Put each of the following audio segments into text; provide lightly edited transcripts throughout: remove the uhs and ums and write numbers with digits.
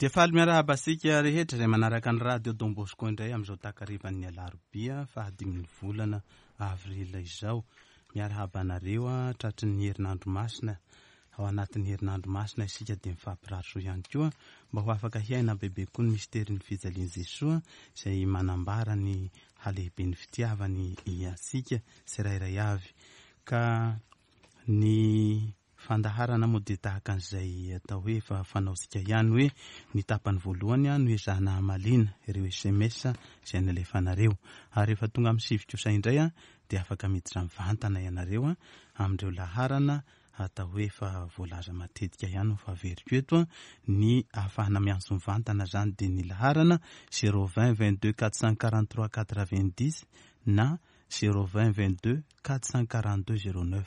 Dia faly miarahaba antsika rehetra izay manaraka ny Radio Don Bosco indray amin'izao takarivan'ny alarobia fahadimin'ny volana avril izao. Miarahaba anareo tratry ny herinandro masina. Ao anatin'ny herinandro masina isika dia mifampirary soa ihany koa mba ho afaka hiaina bebe koa ny misterin'ny fijalian'i Jesoa izay manambara ny halehiben'ny fitiavany antsika tsirairay avy. Ka ny fandaharana moa dia tahaka an'izay atao hoe efa fanaontsika ihany hoe ny tapany voalohany no ezahana hamaliana ireo sms izay nalefanareo. Ary rehefa tonga amin'ny sivy kosa indray dia afaka miditra mivantana ianareo amin'ireo laharana atao hoe efa voalaza matetika ihany fa averiko eto ny ahafahana miantso mivantana izany dia ny laharana 020 22 443 90 na 020 22 442 09.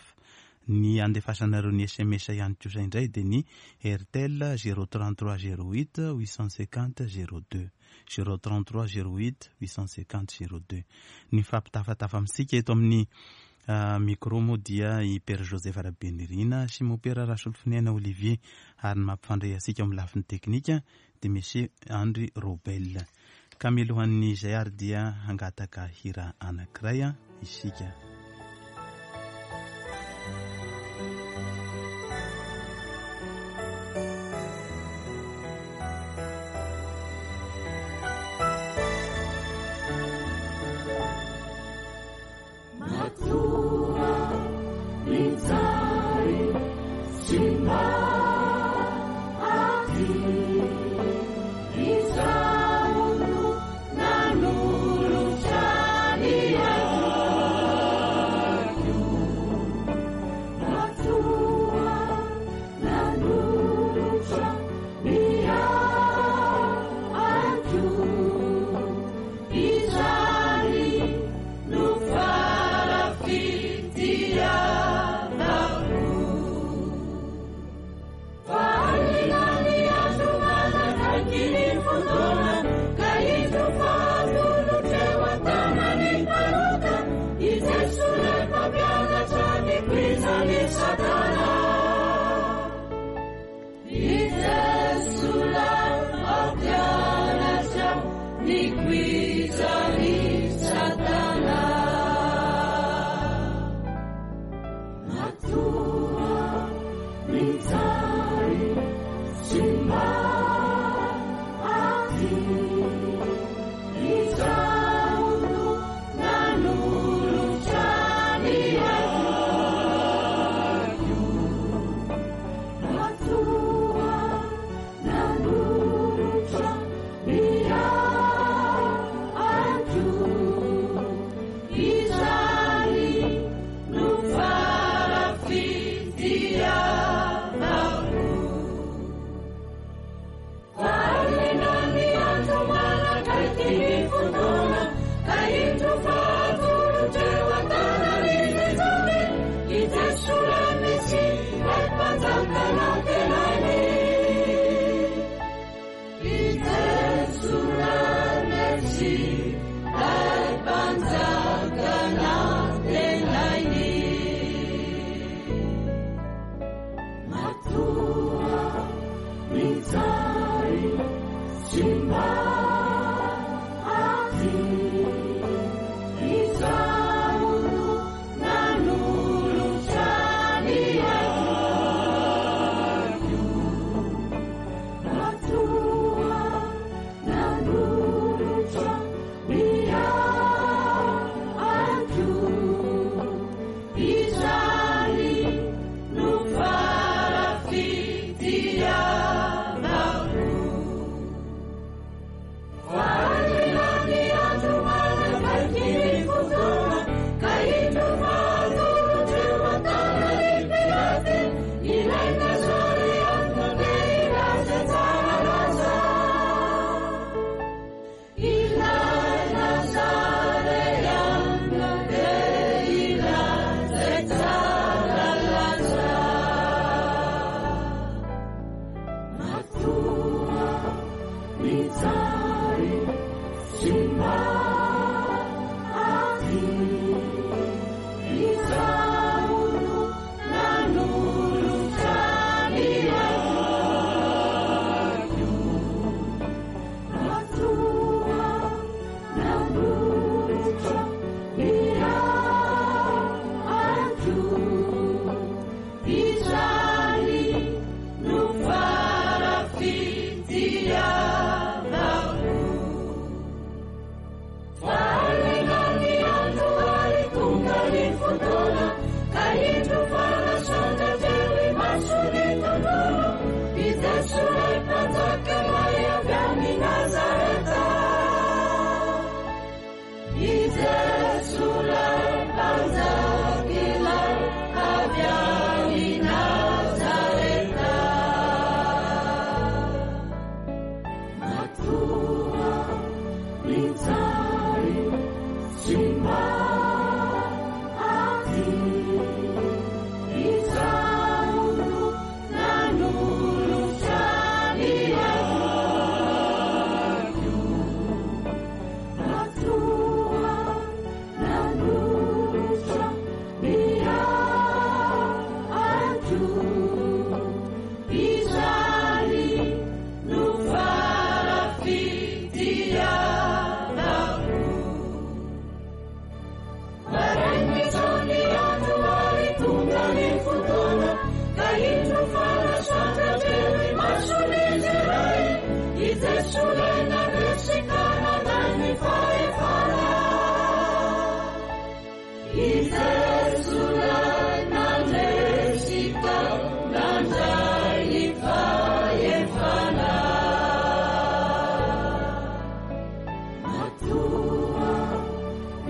Ny andefasanareo ny sms ihany kosa indray dia ny Airtel 033 08 850 02. 033 08 850 02. Ny mifampitafatafa amintsika eto amin'ny micro moa dia i Père Joseph Rabenirina sy Mopera Rasolofoniaina Olivier ary ny mampifandray antsika amin'ny lafiny teknika dia Monsieur Andry Robel. Ka mialohan'izay ary dia hangataka hira anankiray isika. Matoa mijaly tsy maty, Izaho no nanolotra ny aiko. Matoa nanolotra ny aiko, Izany no fara-fitiavako. Fa alina ny andro manakaiky ny fotoana, ka indro fa atolotra eo an-tanan'ny mpanota, i Jesoa ilay mpampianatra ny koizan'i Satana. I Jesoa ilay mpampianatra ny koizan'i Satana. Matoa mijaly tsy maty, Izaho no nanolotra ny aiko. Matoa nanolotra ny aiko, Izany no fara-fitiavako. Fa alina ny andro manakaiky ny fotoana, ka indro fa atolotra eo an-tanan'i Jesosy, i Jesoa ilay Mesia, ilay Mpanjaka nantenainy. I Jesoa ilay Mesia, ilay Mpanjaka nantenainy. Matoa mijaly tsy maty, Izaho no nanolotra ny aiko. Matoa nanolotra ny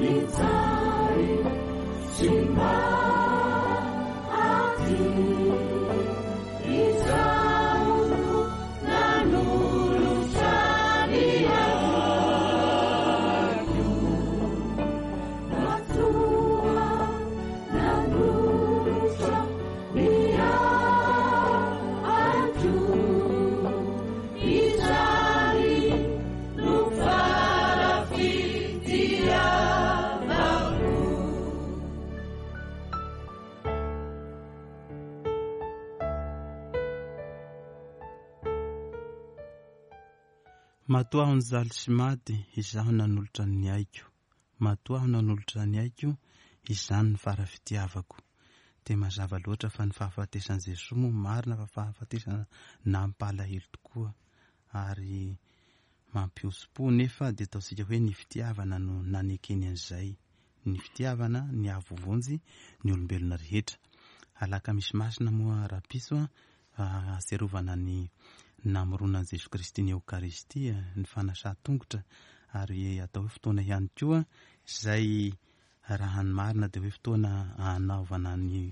Nijaly sy maty, Izaho no nanolotra ny aiko. Matoa nanolotra ny aiko, Izany no fara-fitiavako. Matoa aho nijaly sy maty, izaho nanolotra ny aiko. Matoa aho nanolotra ny aiko, izany no fara-fitiavako. Dia mazava loatra fa ny fahafatesan'i Jesoa moa marina fa fahafatesana nampalahelo tokoa ary mampihosom-po, nefa dia ataontsika hoe ny fitiavana no nanekeny an'izay. Ny fitiavana ny hahavoavonjy ny olombelona rehetra. Alakamisy masina moa rahampitso ahatsiarovana ny namoronan'i Jesoa Kristy ny Eokaristia, ny fanasan-tongotra, ary atao hoe fotoana ihany koa izay raha ny marina dia hoe fotoana hanaovana ny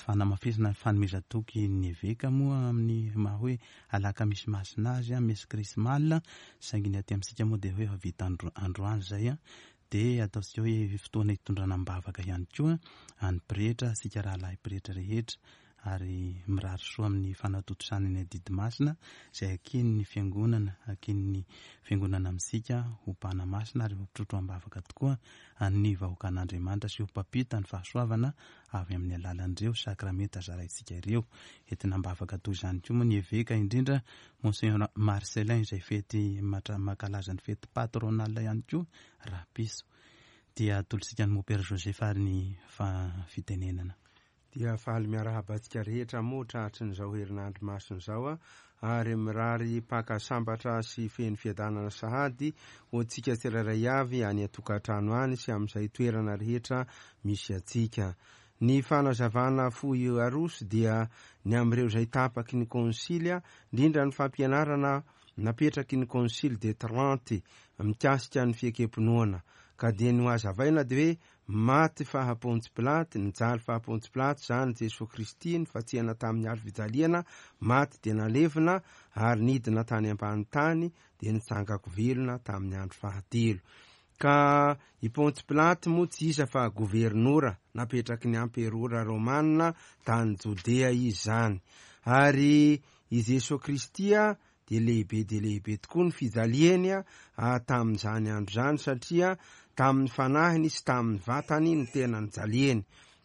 fanamafisana ny fanomezan-toky ny eveka moa amin'ny maha hoe alakamisy masina azy, messe chrismale, saingy ny aty amintsika moa dia hoe efa vita androany izay, dia ataontsika hoe fotoana hitondrana am-bavaka ihany koa an'ny pretra, isika rahalahy pretra rehetra, ary mirary soa amin'ny fanatontosana ny adidy masina izay akin'ny fiangonana, akin'ny fiangonana amintsika ho mpanamasina ary ho mpitrotro am-bavaka tokoa an'ny vahoakan'Andriamanitra sy ho mpampita ny fahasoavana avy amin'ny alalan'ireo sakramenta zaraintsika ireo. Entina am-bavaka toy izany koa moa ny eveka, indrindra Monseigneur Marcellin izay fety mankalaza ny fety patronale ihany koa rahampitso. Dia atolotsika an'i Mopera Joseph ary ny fitenenana. Dia faly miarahaba antsika rehetra moa tratrin'izao herinandro masina izao ary mirary Paka sambatra sy feno fiadanana sahady ho antsika tsirairay avy any an-tokantrano any sy amin'izay toerana rehetra misy antsika. Ny fanazavana fohy aroso dia ny amin'ireo izay tapaky ny konsily, indrindra ny fampianarana napetraky ny Concile de Trente mikasika ny fiekem-pinoana. Ka dia ny hohazavaina dia hoe maty faha Pontsy Pilaty, nijaly faha Pontsy Pilaty izany Jesoa Kristy, nifantsihana tamin'ny hazo fijaliana, maty dia nalevina ary nidina tany ambany tany dia nitsangako velona tamin'ny andro fahatelo. Ka i Pontsy Pilaty moa tsy iza fa governora napetraky ny amperora romana tany Jodea izy izany. Ary i Jesoa Kristy dia lehibe dia lehibe tokoa ny fijaliany tamin'izany andro izany satria tamin'ny fanahiny sy tamin'ny vatany no tena nijaliany.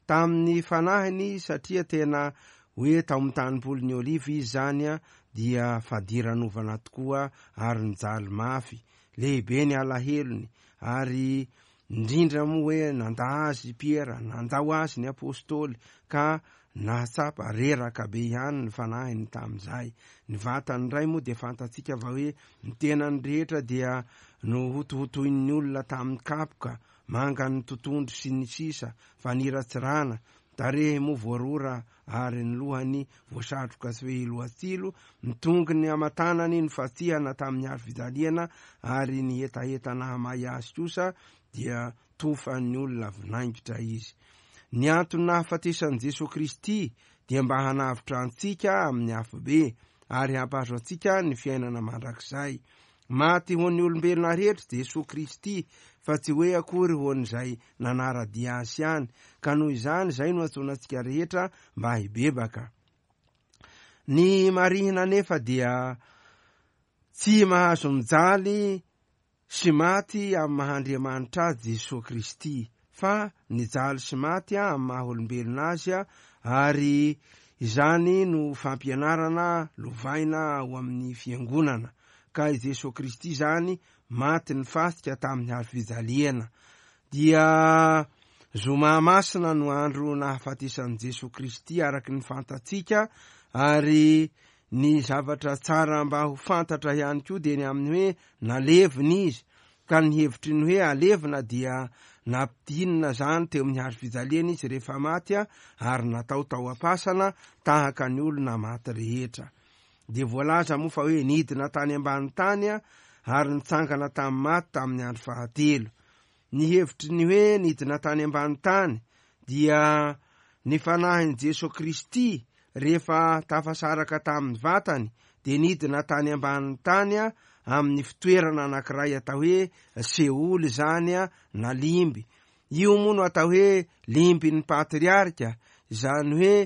Tamin'ny fanahiny satria tena hoe tao amin'ny tanimpolin'ny Oliva izy izany dia fadiranovana tokoa ary nijaly mafy. Lehibe ny alahelony ary Indrindra moa hoe nandà azy i Piera, nandao azy ny Apostoly, ka nahatsapa reraka be ihany ny fanahiny tamin'izay. Ny vatany indray moa dia fantatsika fa hoe ny tenany rehetra dia nohotohotoin'ny olona tamin'ny kapoka, mangan'ny totondry sy ny sisa, faniratsirana, tarehy moa voarora ary ny lohany voasatroka sy fehilohatsilo, ny tongony aman-tanany nofatsihana tamin'ny hazo fijaliana, ary ny hetaheta nahamay azy kosa dia tofan'ny olona vinaingitra izy. Ny antony nahafatesan'i Jesoa Kristy dia mba hanavotra antsika amin'ny afobe ary hampahazo antsika ny fiainana mandrakizay. Maty ho an'ny olombelona rehetra Jesoa Kristy fa tsy hoe akory ho an'izay nanara-dia Azy ihany, ka noho izany izay no antsoina antsika rehetra mba hibebaka. Ny marihina anefa dia tsy mahazo mijaly sy maty amin'ny maha Andriamanitra Azy Jesoa Kristy, fa nijaly sy maty amin'ny maha olombelona Azy, ary izany no fampianarana lovaina ao amin'ny Fiangonana. Ka i Jesoa Kristy izany maty nifasika tamin'ny hazo fijaliana. Dia Zoma Masina no andro nahafatesan'i Jesoa Kristy araka ny fantatsika, ary ny zavatra tsara mba ho fantatra ihany koa dia ny amin'ny hoe nalevina izy, ka ny hevitry ny hoe alevina dia nampidinina izany teo amin'ny hazo fijaliana izy rehefa maty ary natao tao am-pasana tahaka ny olona maty rehetra. Dia voalaza moa fa hoe nidina tany ambany tany ary nitsangana tamin'ny maty tamin'ny andro fahatelo. Ny hevitry ny hoe nidina tany ambany tany dia ny fanahin'i Jesoa Kristy rehefa tafasaraka tamin'ny vatany dia nidina tany ambanin'ny tany amin'ny fitoerana anankiray atao hoe Seoly izany na limby. Io moa no atao hoe limbin'ny patriarika, izany hoe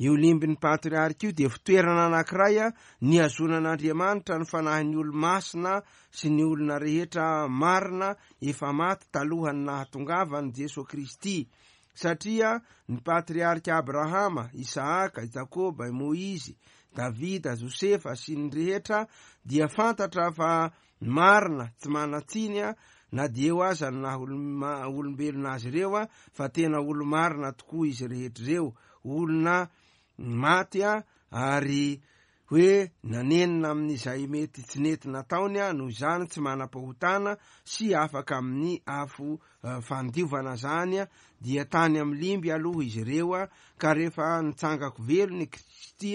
io limbin'ny patriarika io dia fitoerana anankiray nihazonan'Andriamanitra ny fanahin'ny olo-masina sy ny olona rehetra marina efa maty talohan'ny nahatongavan'i Jesoa Kristy. Satria ny patriarika Abrahama, Isahaka, i Jakoba, i Moizy, Davida, Josefa sy ny rehetra dia fantatra fa marina, tsy manan-tsiny na dia eo aza ny naha olombelona azy ireo fa tena olo-marina tokoa izy rehetra ireo, olona maty ary hoe nanenina amin'izay mety tsy nety nataony noho izany tsy manam-pahotana sy afaka amin'ny afo fandiovana zany dia tany amin'ny limby aloha izy ireo ka rehefa nitsangako velona i Kristy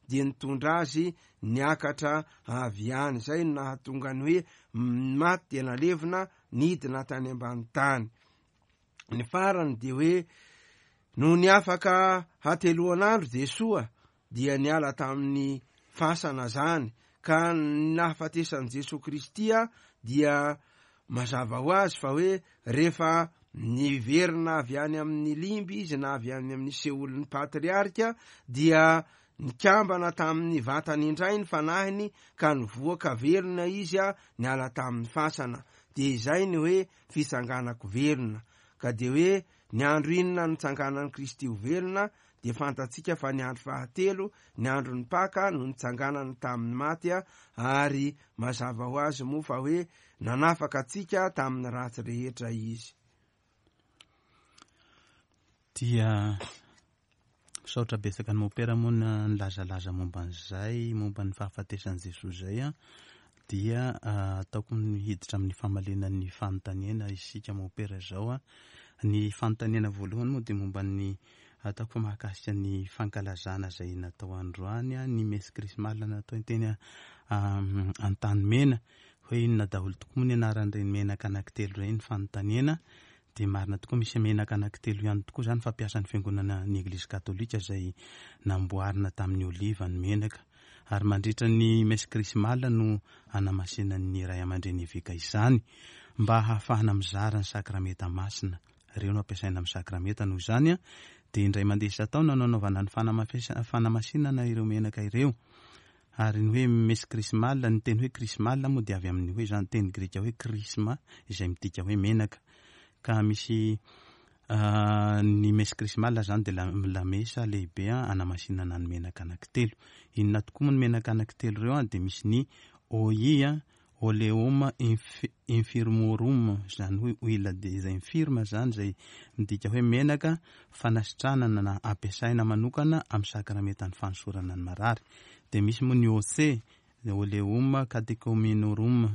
dia nitondra azy niakatra avy any. Izay no nahatonga ny hoe maty dia nalevina nidina tany ambany tany. Ny farany dia hoe nony afaka hateloan'andro Jesoa dia niala tamin'ny fasana zany ka ny nahafatesan'i Jesoa Kristy dia mazava ho azy fa hoe rehefa niverina avy any amin'ny limby izy na avy any amin'ny seholin'ny patriarika dia nikambana tamin'ny vatany indray ny fanahiny ka nivoaka velona izy niala tamin'ny fasana. Dia izay ny hoe fitsanganako velona. Ka dia hoe ny andro inona nitsanganan'i Kristy ho velona dia fantatsika fa ny andro fahatelo, ny andron'ny Paka, no nitsanganany tamin'ny maty, ary mazava ho azy moa fa hoe nanafaka antsika tamin'ny ratsy rehetra Izy. Dia misaotra betsaka an'i Mopera moa nilazalaza momba an'izay, momba ny fahafatesan'i Jesoa izay. Dia ataoko hiditra amin'ny famaliana ny fanontaniana isika Mopera izao. Ny fanontaniana voalohany moa dia momba ny ataoko fa mahakasika ny fankalazana izay natao androany, ny messe chrismale natao teny Antanimena. Hoe inona daholo tokoa moa ny anaran'ireny menaka anankitelo ireny ny fanontaniana. Dia marina tokoa misy menaka anankitelo ihany tokoa izany fampiasan'ny fiangonana ny Eglizy Katolika izay namboarina tamin'ny oliva ny menaka. Ary mandritra ny messe chrismale no anamasinan'ny ray aman-dreny eveka izany mba hahafahana mizara ny sakramenta masina. Ireo no ampiasaina amin'ny sakramenta noho izany dia indray mandeha isan-taona no anaovana ny fanamasinana ireo menaka ireo. Ary ny hoe messe chrismale, ny teny hoe chrismale moa dia avy amin'ny hoe izany teny grika hoe chrisma izay midika hoe menaka. Ka misy ny messe chrismale izany dia lamesa lehibe anamasinana ny menaka anankitelo. Inona tokoa moa ny menaka anankitelo ireo? Dia misy ny OI, Oleum infirmorum, izany hoe huile des infirmes izany, izay midika hoe menaka fanasitranana na ampiasaina manokana amin'ny sakramentan'ny fanosorana ny marary. Dia misy moa ny OC, Oleum catechumenorum,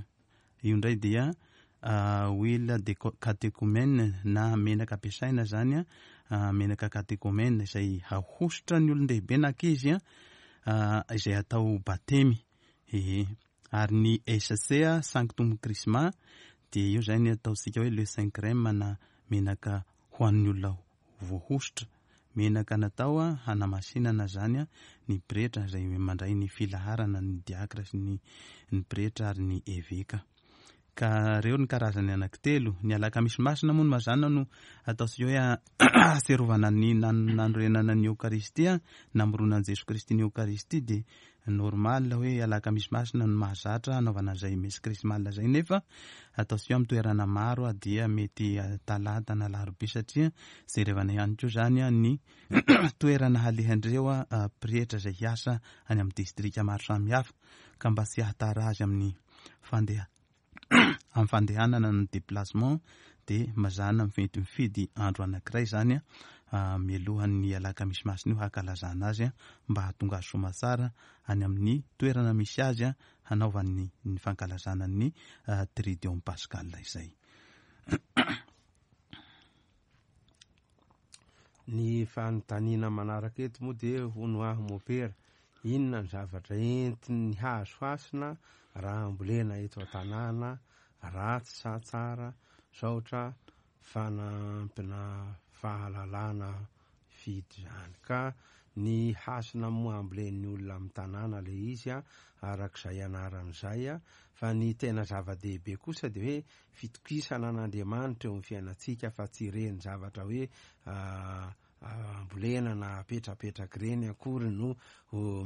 io indray dia huile de catechumène na menaka ampiasaina izany, menaka catechumène izay ahosotra ny olon-dehibe na ankizy izay atao batemy. Ehe. Ary ny SC, Sanctum Chrisma, dia io izay ny ataontsika hoe le Saint Crème na menaka ho an'ny olona voahosotra. Menaka natao hanamasinana izany ny pretra izay mandray ny filaharana, ny diakra sy ny ny pretra ary ny eveka. Ka ireo ny karazany anankitelo. Ny alakamisy masina moa no mazàna no ataontsika hoe ahatsiarovana ny nanorenana ny Eokaristia, namoronan'i Jesoa Kristy ny Eokaristia dia normal hoe alakamisy masina no mahazatra hanaovana an'izay messe chrismale izay nefa ataontsika hoe amin'ny toerana maro dia mety talata na alarobia satria jerevana ihany koa izany ny toerana halehan'ireo pretra izay hiasa any amin'ny distrika maro samihafa ka mba tsy hahatara azy amin'ny fandeha amin'ny fandehanana ny déplacement dia mazàna mety mifidy andro anankiray izany mialohan'ny alakamisy masina io hankalazana azy mba hahatonga azy soamatsara any amin'ny toerana misy azy hanaovany ny fankalazana ny Triduum Pascal izay. Ny fanontaniana manaraka eto moa dia hono aho mopera, inona ny zavatra entin'ny hazo hasina raha ambolena eto an-tanàna, ratsy sa tsara, saotra. fanampina fahalalana fidy izany. Ka ny hasina moa ambolen'ny olona amin'ny tanàna ilay izy arak'izay anarany izay, fa ny tena zava-dehibe kosa dia hoe fitokisana an'Andriamanitra eo amin'ny fiainantsika, fa tsy ireny zavatra hoe ambolena na apetrapetraka ireny akory no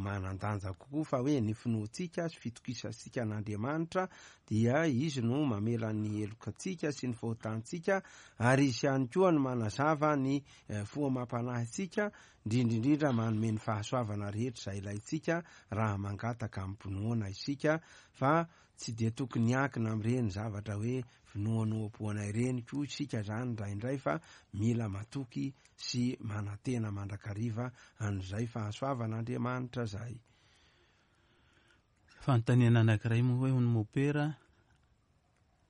manan-danja kokoa, fa hoe ny finoantsika sy fitokisantsika an'Andriamanitra dia Izy no mamela ny helokantsika sy ny fahotantsika, ary Izy ihany koa no manazava ny fo amam-panahintsika, indrindra indrindra manome ny fahasoavana rehetra izay ilaintsika raha mangataka amim-pinoana isika, fa tsy dia tokony hiankina amin'ireny zavatra hoe finoanoam-poana ireny koa isika izany indraindray, fa mila matoky sy manantena mandrakariva an'izay fahasoavan'Andriamanitra izay. Fanontaniana anankiray moa hoe hono mopera,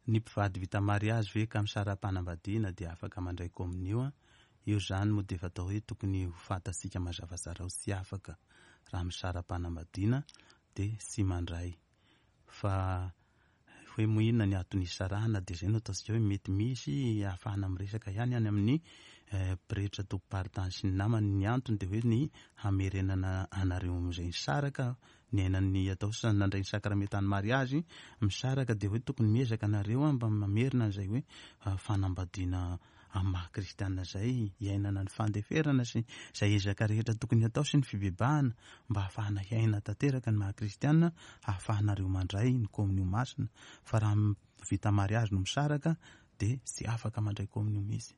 ny mpivady vita mariazy ve ka misara-panambadiana dia afaka mandray kominio? Io izany moa dia efa atao hoe tokony ho fantatsika mazava tsara hoe tsy afaka raha misara-panambadiana dia tsy mandray. Fa hoe moa inona ny antony hisarahana dia izay no ataontsika hoe mety misy ahafahana miresaka ihany any amin'ny pretra tompom-paritany sy ny namany. Ny antony dia hoe ny hamerenana anareo amin'izay nisaraka, niainan'ny atao hoe nandray ny sakramentan'ny mariazy, misaraka dia hoe tokony miezaka nareo mba mamerina an'izay hoe fanambadiana amin'ny maha kristiana izay, hiainana ny fandeferana sy izay ezaka rehetra tokony hatao sy ny fibebahana mba hahafahana hiaina tanteraka ny maha kristiana, hahafahanareo mandray ny komonio masina, fa raha vita mariazy no misaraka dia tsy afaka mandray komonio mihitsy.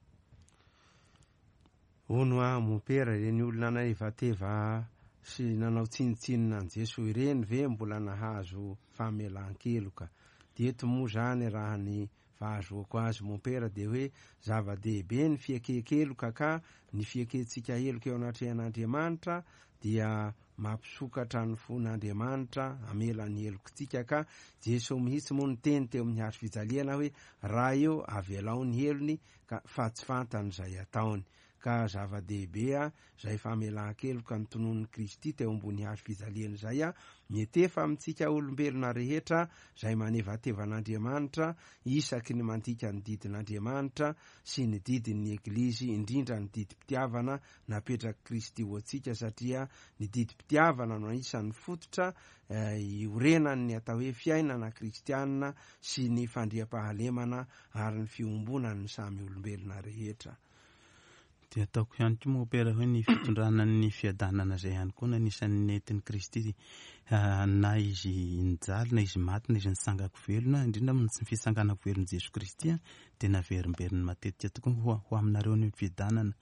Hono aho mompera, ireny olona nanevateva sy nanao tsinontsinona an'i Jesoa ireny ve mbola nahazo famelan-keloka? Dia eto moa izany raha ny Fahazoako azy mompera dia hoe zava-dehibe ny fieken-keloka ka ny fiekentsika heloka eo anatrehan'Andriamanitra dia mampisokatra ny fon'Andriamanitra hamela ny helokintsika ka Jeso mihitsy moa niteny teo amin'ny hazo fijaliana hoe Ray ô avelao ny helony ka fa tsy fantany izay ataony ka zava-dehibe izay famelan-keloka notononin'i Kristy teo ambony hazo fijaliana izay, mietefa amintsika olombelona rehetra izay manevateva an'Andriamanitra isaky ny mandika ny didin'Andriamanitra sy ny didin'ny Eglizy, indrindra ny didim-pitiavana napetrak'i Kristy ho antsika, satria ny didim-pitiavana no anisan'ny fototra iorenan'ny atao hoe fiainana kristiana sy ny fandriampahalemana ary ny fiombonan'ny samy olombelona rehetra. Dia ataoko ihany koa mompera hoe ny fitondrana ny fiadanana izay ihany koa no anisan'ny nentin'i Kristy na izy nijaly na izy maty na izy nitsangako velona, indrindra moa ny fitsanganako velon'i Jesoa Kristy dia naverimberiny matetika tokoa ho ho aminareo ny fiadanana.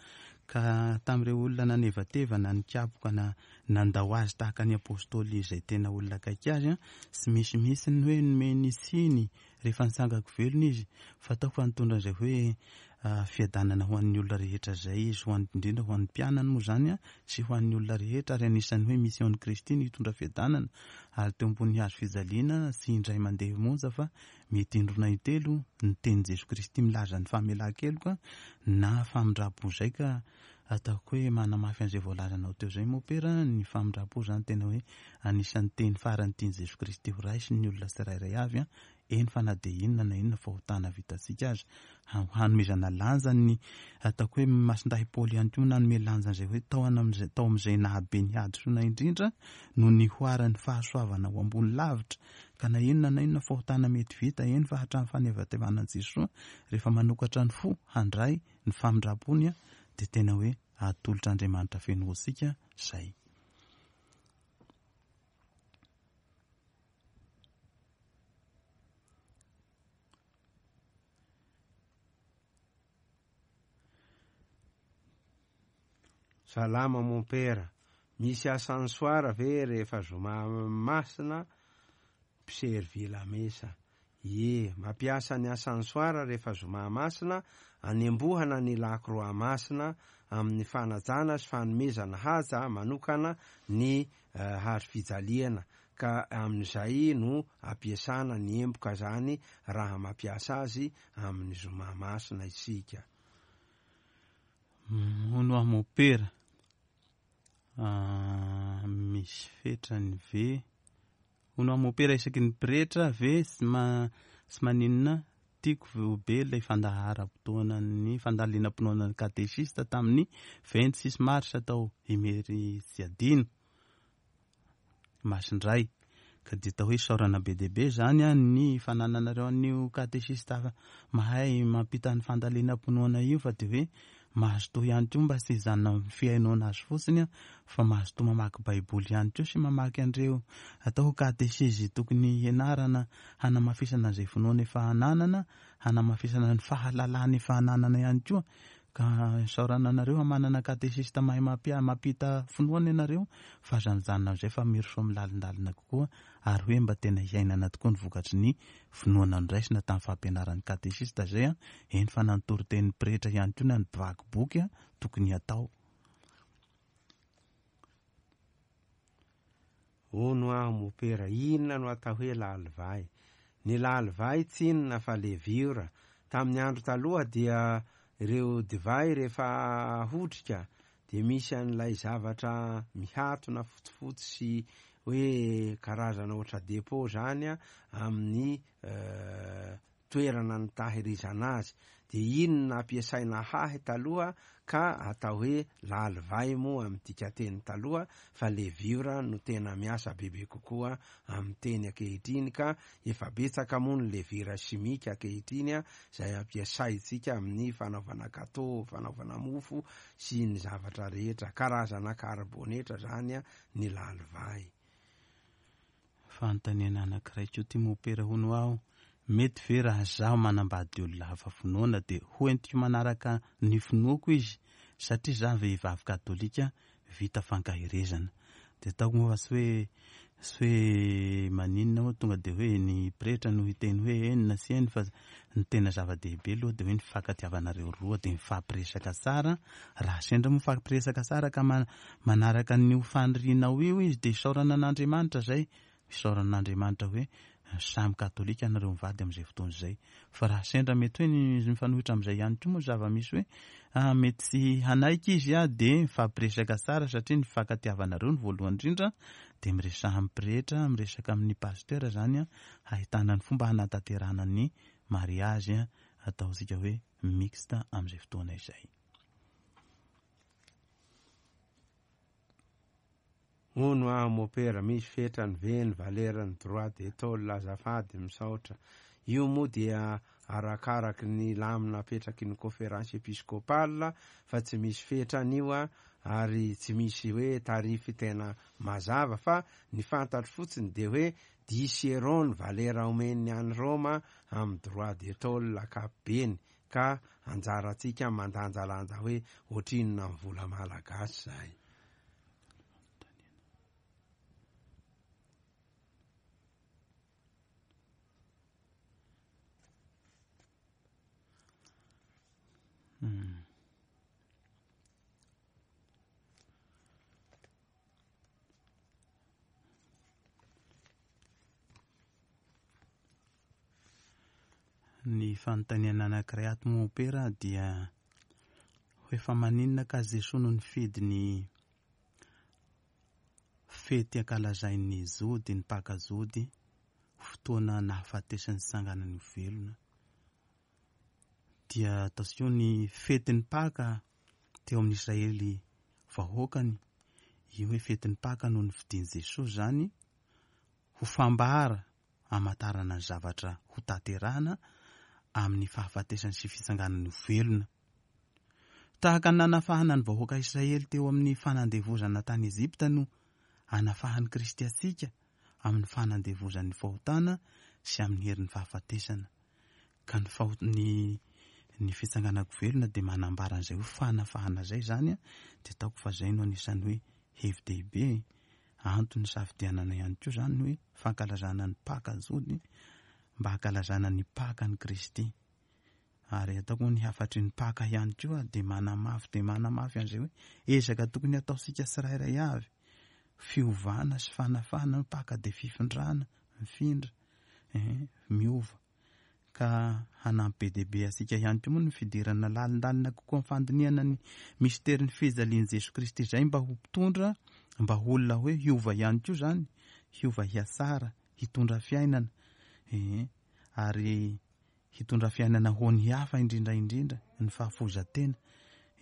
Ka tamin'ireo olona nanevateva na nikapoka na nandao azy tahaka ny apostoly izay tena olona akaiky azy, tsy misy mihitsy ny hoe nomeny tsiny Rehefa nitsangako velona izy, fataoko fa nitondra an'izay hoe fiadanana ho an'ny olona rehetra izay izy, ho an'ny, indrindra ho an'ny mpianany moa izany sy ho an'ny olona rehetra, ary anisan'ny hoe mission-n'i Kristy ny hitondra fiadanana, ary teo ambonin'ny hazo fijaliana tsy indray mandeha monja fa mety indroa na intelo ny tenin'i Jesoa Kristy milaza ny famelan-keloka na famindram-po izay ka ataoko hoe manamafy an'izay voalazanao teo izay mopera, ny famindram-po izany tena hoe anisan'ny teny farany tian'i Jesoa Kristy ho raisin'ny olona tsirairay avy, eny fa na dia inona na inona fahotana vitantsika aza, hanomezana lanja ny ataoko hoe Masindahy Paoly ihany koa nanome lanja an'izay hoe tao amin'izay tao amin'izay nahabe ny hadisoana indrindra no nihoaran'ny fahasoavana ho ambony lavitra, ka na inona na inona fahotana mety vita, eny fa hatramin'ny fanevatevana an'i Jesoa, rehefa manokatra ny fo handray ny famindram-pony dia tena hoe atolotr'Andriamanitra feno ho antsika izay. Salama mompera, misy ascensoir ve rehefa zoma masina mpiservy lamesa? Ie, mampiasa ny ascensoir rehefa zoma masina, anembohana ny lakroa masina amin'ny fanajana sy fanomezana haja manokana ny hazo fijaliana, ka amin'izay no ampiasana ny emboka zany raha mampiasa azy amin'ny zoma masina isika. Hono aho mopera, misy fetrany ve? Hono aho mopera isaky ny pretra ve tsy maninona? Tiako be ilay fandaharam-potoanan'ny fandalinam-pinoana ny katesista tamin'ny 26 mars tao Imeritsiadino. Masindray. Ka dia atao hoe isaorana be dia be izany ny fanananareo an'io katesista mahay mampita ny fandalinam-pinoana io fa dia hoe mazotoa ihany koa mba tsy hijanona amin'ny fihainoana azy fotsiny fa mazotoa mamaky baiboly ihany koa sy mamaky an'ireo atao hoe katesizy tokony hianarana hanamafisana izay finoana efa ananana, hanamafisana ny fahalalana efa ananana ihany koa. Ka isaorana anareo fa manana katesista mahay mampita finoana ianareo fa aza mijanona amin'izay fa mirosoa amin'ny lalindalina kokoa ary hoe mba tena hiainana tokoa ny vokatry ny finoana noraisina tamin'ny fampianaran'ny katesista izay an, eny fa na ny toritenin'ny pretra ihany koa na ny mpivaky boky tokony hatao. Hono aho mopera, inona no atao hoe lalivay? Ny lalivay tsy inona fa leviora. Tamin'ny andro taloha dia ireo divay rehefa ahotrika dia misy an'ilay zavatra mihatona fotsifotsy sy hoe karazana ohatra depot zany amin'ny toerana nitahirizana azy, dia iny no nampiasaina hahy taloha ka atao hoe lalivay moa amin'ny dikanteny taloha fa leviora no tena miasa bebe kokoa amin'ny teny ankehitriny ka efa betsaka moa ny levira simika ankehitriny izay ampiasaintsika amin'ny fanaovana gateau, fanaovana mofo sy ny zavatra rehetra, karazana karibonetra izany ny lalivay. Fanontaniana anankiray koa ty mopera hono aho, mety ve raha zaho manambady olona hafa finoana de ho entiko manaraka ny finoako izy satria za vehivavy katolika vita fankaherezana. De ataoko moa fa tsy hoe tsy hoe maninona moa tonga de hoe ny pretra no hiteny hoe eny na tsy eny fa ny tena zava-dehibe aloha de hoe ny fifankatiavanareo roa de mifampiresaka tsara, raha sendra moa mifampiresaka tsara ka Manaraka an'io fanirianao io izy dia isaorana an'Andriamanitra izay, isaorana an'Andriamanitra hoe samy katolika nareo mivady amin'izay fotoana izay. Fa raha sendra mety hoe ny mifanohitra amin'izay ihany koa moa zava-misy hoe ah, mety tsy hanaiky izy ah, dia mifampiresaka tsara satria ny fifankatiavanareo no voalohany indrindra, dia miresaha amin'ny pretra, miresaka amin'ny pasteur izany hahitana ny fomba hanatanterahana ny mariage ataontsika hoe mixte amin'izay fotoana izay. Hono aho mopera, misy fetrany ve ny valeran'ny droit de tôle azafady, misaotra. Io moa dia arakaraky ny lamina apetraky ny conférence episcopale fa tsy misy fetrany io ary tsy misy hoe tarif tena mazava fa ny fantatro fotsiny dia hoe dix euros ny valera omen'ny any Roma amin'ny droit de tôle ankapobeny Ka anjarantsika mandanjalanja hoe ohatrinona amin'ny vola malagasy izay. Ny fanontaniana anankiray ato mompera dia hoe fa maninona ka Jesoa no nifidy ny fety ankalazain'ny Jody, ny Paka Jody, ho fotoana nahafatesany sy tsanganany ho velona. Dia ataontsika hoe ny fetin'ny Paka teo amin'ny Israely vahoakany, io hoe fetin'ny Paka no nifidin'i Jesoa izany ho fambara hamantarana ny zavatra ho tanterahana amin'ny fahafatesany sy fitsanganany ho velona. Tahaka ny nanafahana ny vahoaka Israely teo amin'ny fanandevozana tany Egypta no anafahan'i Kristy antsika amin'ny fanandevozan'ny fahotana sy amin'ny herin'ny fahafatesana. Ka ny fahot ny ny fitsanganako velona dia manambara an'izay hoe fanafahana izay izany, dia ataoko fa izay no anisan'ny hoe hevi-dehibe Antony nisafidianana ihany koa izany ny hoe fankalazana ny Paka Jody mba hankalazana ny Pakan'i Kristy. Ary ataoko moa ny hafatry ny Paka ihany koa dia manamafy dia manamafy an'izay hoe ezaka tokony hataontsika tsirairay avy. Fiovana sy fanafahana, ny Paka dia fifindrana, mifindra, eh, miova. Ka hanampy be dia be antsika ihany koa moa ny fidirana lalindalina kokoa amin'ny fandinihana ny misterin'ny fijalian'i Jesoa Kristy izay mba ho mpitondra, mba ho olona hoe hiova ihany koa izany, hiova hihatsara, hitondra fiainana, ee, ary. hitondra fiainana ho an'ny hafa indrindra indrindra, ny fahafoizan-tena.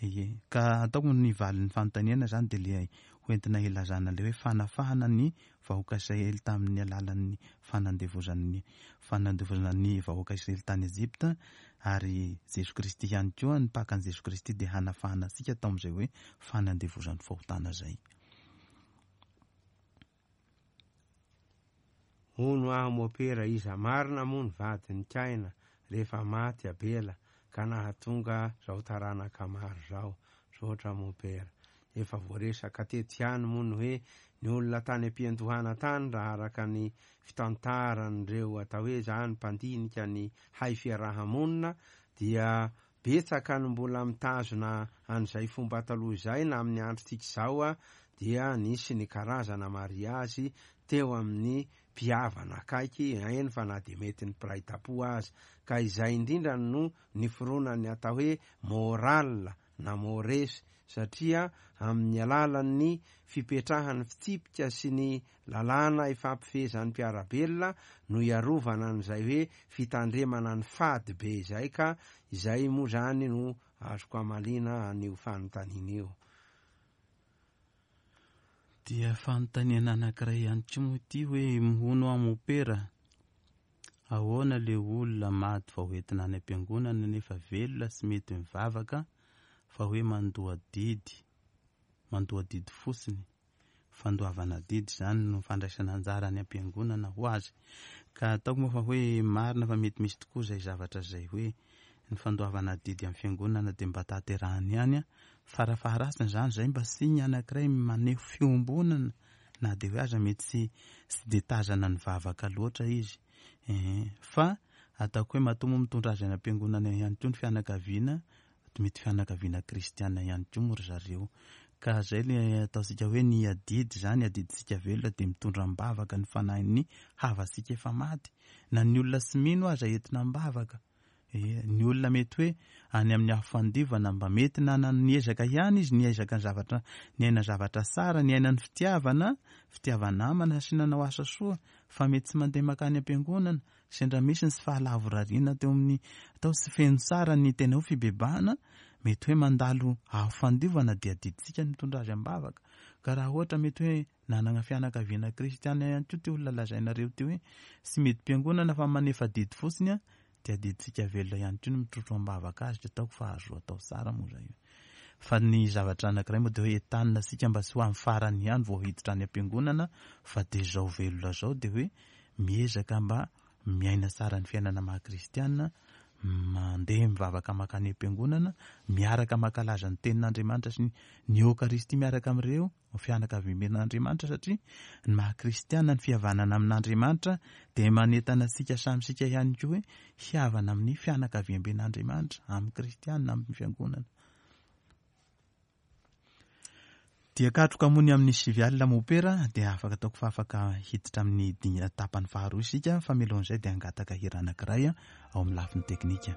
Ie. Ka ataoko ny valin'ny fanontaniana izany dia ilay hoentina hilazana ilay hoe fanafahana ny vahoaka Israely tamin'ny alalan'ny fanandevozan'ny fanandevozana ny vahoaka Israely tany Egypta ary Jesoa Kristy ihany koa, ny Pakan'i Jesoa Kristy dia hanafahana antsika tao amin'izay hoe fanandevozan'ny fahotana izay. Hono aho mopera iza marina moa ny vadin'i Kaina rehefa maty Abela ka nahatonga zao taranaka maro zao? Misaotra mopera. Efa voaresaka teto ihany moa ny hoe ny olona tany am-piandohana tany raha araka ny fitantaran'ireo atao hoe zany mpandinika ny hay fiaraha-monina dia Betsaka no mbola mitazona an'izay fomba taloha izay na amin'ny androntsika izao dia nisy ny karazana mariazy teo amin'ny mpihavana akaiky, eny fa na dia mety ny mpiray tampo aza. Ka izay indrindra no niforonan'ny atao hoe morale na mores satria amin'ny alalan'ny fipetrahan'ny fitsipika sy ny lalàna ifampifehezan'ny mpiara-belona no iarovana an'izay hoe fitandremana ny fady be izay ka izay moa izany no azoko amaliana an'io fanontaniana io. Dia fanontaniana anankiray ihany koa moa ity hoe hono aho mopera, ahoana le olona maty vao entina any am-piangonana nefa velona sy mety mivavaka fa hoe mandoa didy, mandoa didy fotsiny, fandoavana adidy izany no fandraisana anjara any am-piangonana ho azy. Ka ataoko moa fa hoe marina fa mety misy tokoa izay zavatra izay hoe ny fandoavana adidy amin'ny fiangonana dia mba tanterahany ihany an, farafaharatsiny izany izay mba signe anankiray maneho fiombonana na dia hoe aza mety tsy tsy dia tazana nivavaka loatra izy eh, fa ataoko hoe matoa moa mitondra azy any am-piangonana ihany koa ny fianakaviana mety fianakaviana kristiana ihany koa moa ry zareo. Ka zay le ataontsika hoe ny adidy zany, adidintsika velona dia mitondra am-bavaka ny fanahin'ny havantsika efa maty. Na ny olona tsy mino aza entina am-bavaka. Ee, ny olona mety hoe any amin'ny afo fandivana mba mety nana niezaka ihany izy niezaka ny zavatra, niaina zavatra tsara, niaina ny fitiavana, fitiava-namana sy nanao asa soa, fa mety tsy mandeha mankany am-piangonana, Sendra misy ny tsy fahalavorariana teo amin'ny atao tsy feno tsara ny tena hoe fibebahana, mety hoe mandalo afo fandiovana dia adidintsika ny mitondra azy am-bavaka. Ka raha ohatra mety hoe nanana fianakaviana kristiana ihany koa ity olona lazainareo ity hoe tsy midi-piangonana fa manefa adidy fotsiny dia adidintsika velona ihany koa ny mitrotro am-bavaka azy, ataoko fa azo atao tsara moa izay. Fa ny zavatra anankiray moa dia hoe entanina isika mba tsy ho amin'ny farany ihany vao hiditra any am-piangonana fa dia izao velona izao dia hoe miezaka mba miaina tsara ny fiainana maha kristiana, mandeha mivavaka mankany am-piangonana, miaraka mankalaza ny tenin'Andriamanitra sy ny Eokaristia miaraka amin'ireo fianakaviamben'Andriamanitra satria ny maha kristiana ny fihavanana amin'Andriamanitra dia manentana antsika samy isika ihany koa hoe hihavana amin'ny fianakaviamben'Andriamanitra, amin'ny kristiana, amin'ny fiangonana. Dia katroka moa ny amin'ny sivy alina mopera dia afaka ataoko fa afaka hiditra amin'ny dingana tapany faharoa isika fa mialohan'izay dia hangataka hira anankiray ao amin'ny lafiny teknika.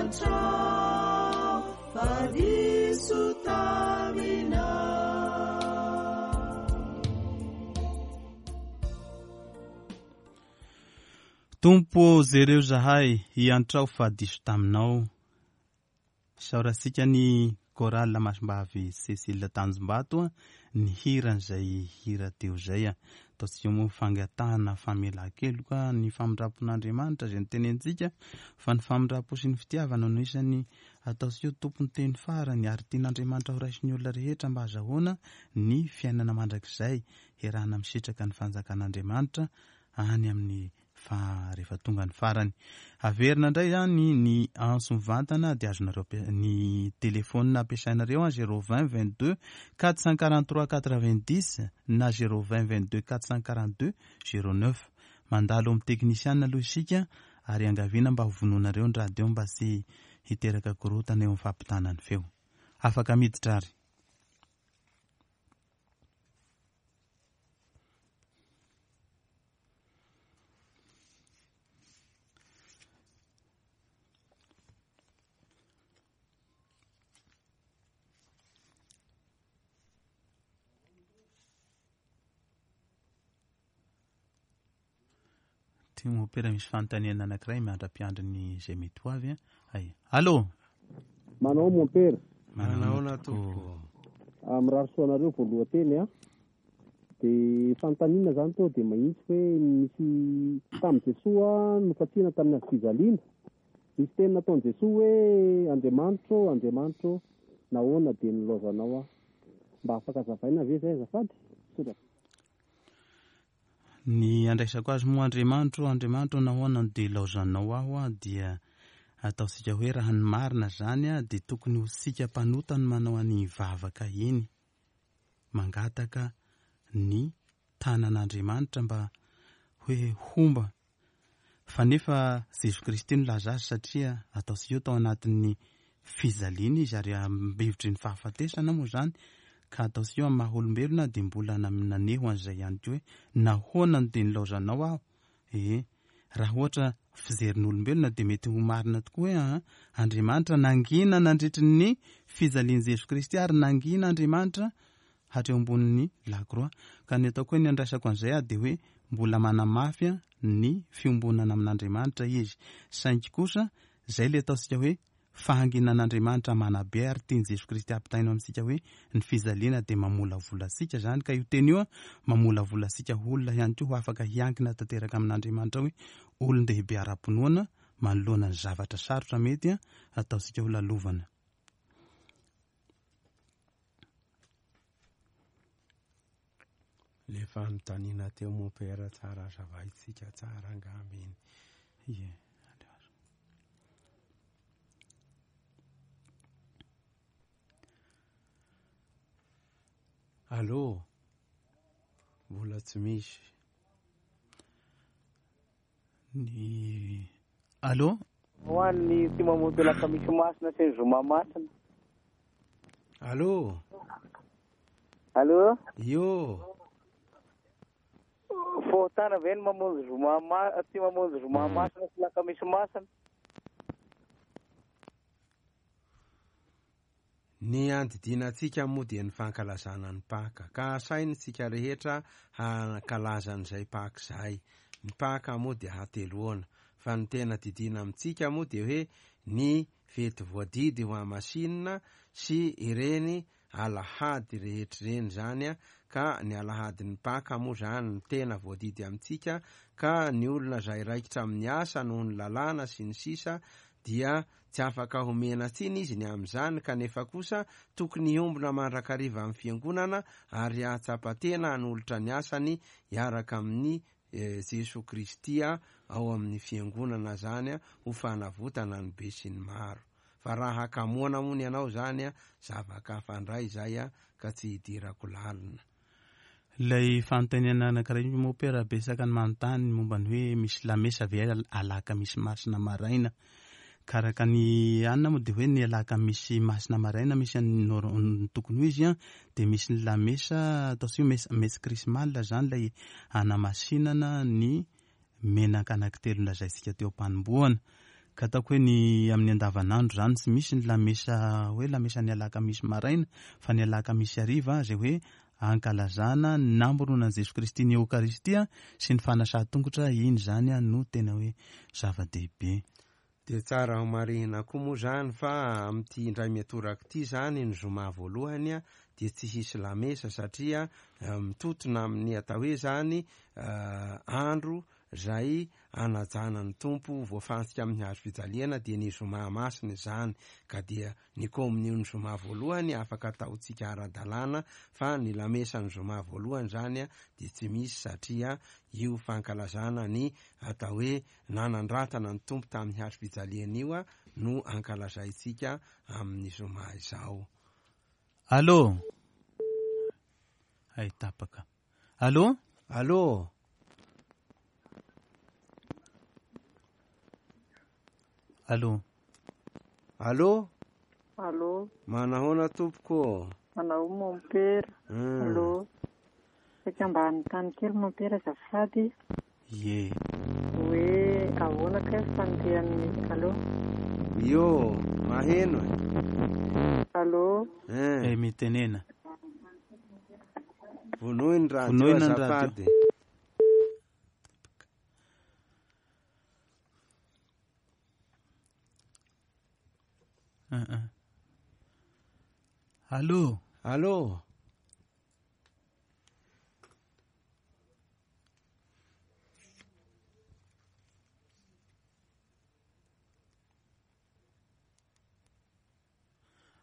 Iantrao fa diso taminao. Tompo ô, jereo zahay, iantrao fa diso taminao. Isaorantsika ny Chorale Masimbavy Cécile Tanjombato nihira an'izay hira teo izay. Ataontsika moa fangatahana famelan-keloka ny famindram-pon'Andriamanitra izay notenenintsika fa ny famindram-po sy ny fitiavana no isan'ny ataontsika ho tompon'ny teny farany ary tian'Andriamanitra ho raisin'ny olona rehetra mba hazahoana ny fiainana mandrakizay hiarahana misitraka ny fanjakan'Andriamanitra any amin'ny fa rehefa tonga ny farany. Averina indray izany ny antso mivantana dia azonareo ny telefaonina ampiasainareo an 020 22 443 90 na 020 22 442 09. Mandalo amin'ny teknisiana aloha isika ary iangaviana mba ho vonoinareo ny radio mba tsy hiteraka korontana eo amin'ny fampitana ny feo. Afaka miditra ary. Ty mopera misy fanontaniana anankiray miandra-piandry ny izay mety ho avy. Ay. Allô? Manao mompera. Manaona tompoko. Ah, mirary soa anareo voalohan-teny a. Dia fanontaniana izany tonga dia mahitsy hoe misy tamin'i Jesoa nofantsihana tamin'ny hazo fijaliana. Nisy teny nataon'i Jesoa hoe Andriamanitro ô, Andriamanitro ô, nahoana dia nilaozanao aho? Mba afaka azavaina ve izay azafady? Misaotra. Ny andraisako azy moa Andriamanitro ô, Andriamanitro ô, nahoana no dia ilaozanao aho dia ataontsika hoe raha ny marina izany dia tokony ho tsika mpanota no manao an'iny vavaka iny. Mangataka ny tanan'Andriamanitra mba hoe homba fa nefa Jesoa Kristy no laza azy satria ataontsika eo tao anatin'ny fijaliana izy ary ambivitry ny fahafatesana moa izany ka ataontsika eo amin'ny maha olombelona dia mbola naneho an'izay ihany koa hoe nahoana no dia nilaozanao aho ee raha ohatra fijerin'olombelona dia mety ho marina tokoa hoe aa Andriamanitra nangina nandritry ny fijalian'i Jesoa Kristy ary nangina Andriamanitra hatreo ambonin'ny lakroa. Ka ny ataoko hoe ny andraisako an'izay aho dia hoe mbola manamafy ny fiombonana amin'Andriamanitra izy. Saingy kosa izay ilay ataontsika hoe fahanginan'Andriamanitra manabe ary tian'i Jesoa Kristy ampitaina amintsika hoe ny fijaliana dia mamolavola antsika izany. Ka io teny io mamolavola antsika ho olona ihany koa ho afaka hiankina tanteraka amin'Andriamanitra hoe olon-dehibe ara-pinoana manoloana ny zavatra sarotra mety ataontsika ho lalovana. Le fanontaniana teo mompera tsara azavaintsika tsara angamba iny. Ie. Allô? Mbola tsy misy. Ny Allô? Ho an'ny tsy mamonjy alakamisy masina sy ny zoma masina. Allô? Allô? Io. Fahotana ve ny mamonjy zoma ma tsy mamonjy zoma masina sy alakamisy masina? Ny andidiana antsika moa dia ny fankalazana ny Paka, ka asaina isika rehetra hankalaza an'izay Paka izay. Ny Paka moa dia hateloana, fa ny tena didiana amintsika moa dia hoe ny fety voadidy ho hamasinina sy ireny alahady rehetra ireny izany, ka ny alahadin'ny Paka moa izany no tena voadidy amintsika, ka ny olona izay raikitra amin'ny asa noho ny lalàna sy ny sisa dia Tsy afaka homena tsiny izy ny amin'izany, kanefa kosa tokony hiombona mandrakariva amin'ny Fiangonana ary hahatsapa tena hanolotra ny asany hiaraka amin'i Jesoa Kristy ao amin'ny Fiangonana izany ho fanavotana ny besinimaro. Fa raha hakamoana hono ianao izany, zava-kafa indray izay ka tsy hidirako lalina. Ilay fanontaniana anankiray io mompera betsaka ny manontany momba ny hoe misy lamesa ve alakamisy masina maraina. Ka araka ny anona moa dia hoe ny alakamisy masina maraina misy an'ny nor- ny tokony ho izy an, dia misy ny lamesa ataontsika hoe messe messe chrismale izany ilay anamasinana ny menaka anankitelo nolazaintsika teo am-panombohana. Ka ataoko hoe ny amin'ny andavanandro izany tsy misy ny lamesa hoe lamesan'ny alakamisy maraina fa ny alakamisy hariva izay hoe ankalazana ny namoronan'i Jesoa Kristy ny Eokaristia sy ny fanasan-tongotra, iny izany no tena hoe zava-dehibe. Dia tsara ho marihina koa moa izany fa amin'ity indray mitoraka ity izany ny zoma voalohany dia tsy hisy lamesa satria mitotona amin'ny atao hoe izany andro izay anajana ny Tompo voafantsika amin'ny hazo fijaliana dia ny zoma masina izany, ka dia ny komonion'ny zoma voalohany afaka ataontsika ara-dalàna fa ny lamesan'ny zoma voalohany izany dia tsy misy satria io fankalazana ny atao hoe nanandratana ny Tompo tamin'ny hazo fijaliana io no ankalazaintsika amin'ny zoma izao. Allô? Hay tapaka. Allô? Allô? Allô? Allô? Allô? Manahoana tompoko? Manao mompera. Allô? Saika mba hanontany kely mompera azafady. Ie. Hoe ahoana kay fandehan'ny Allô? Io, maheno e. Allô? Eh, mitenena. Vonoy ny radio Vonoina ny radio. azafady. Allô? Allô?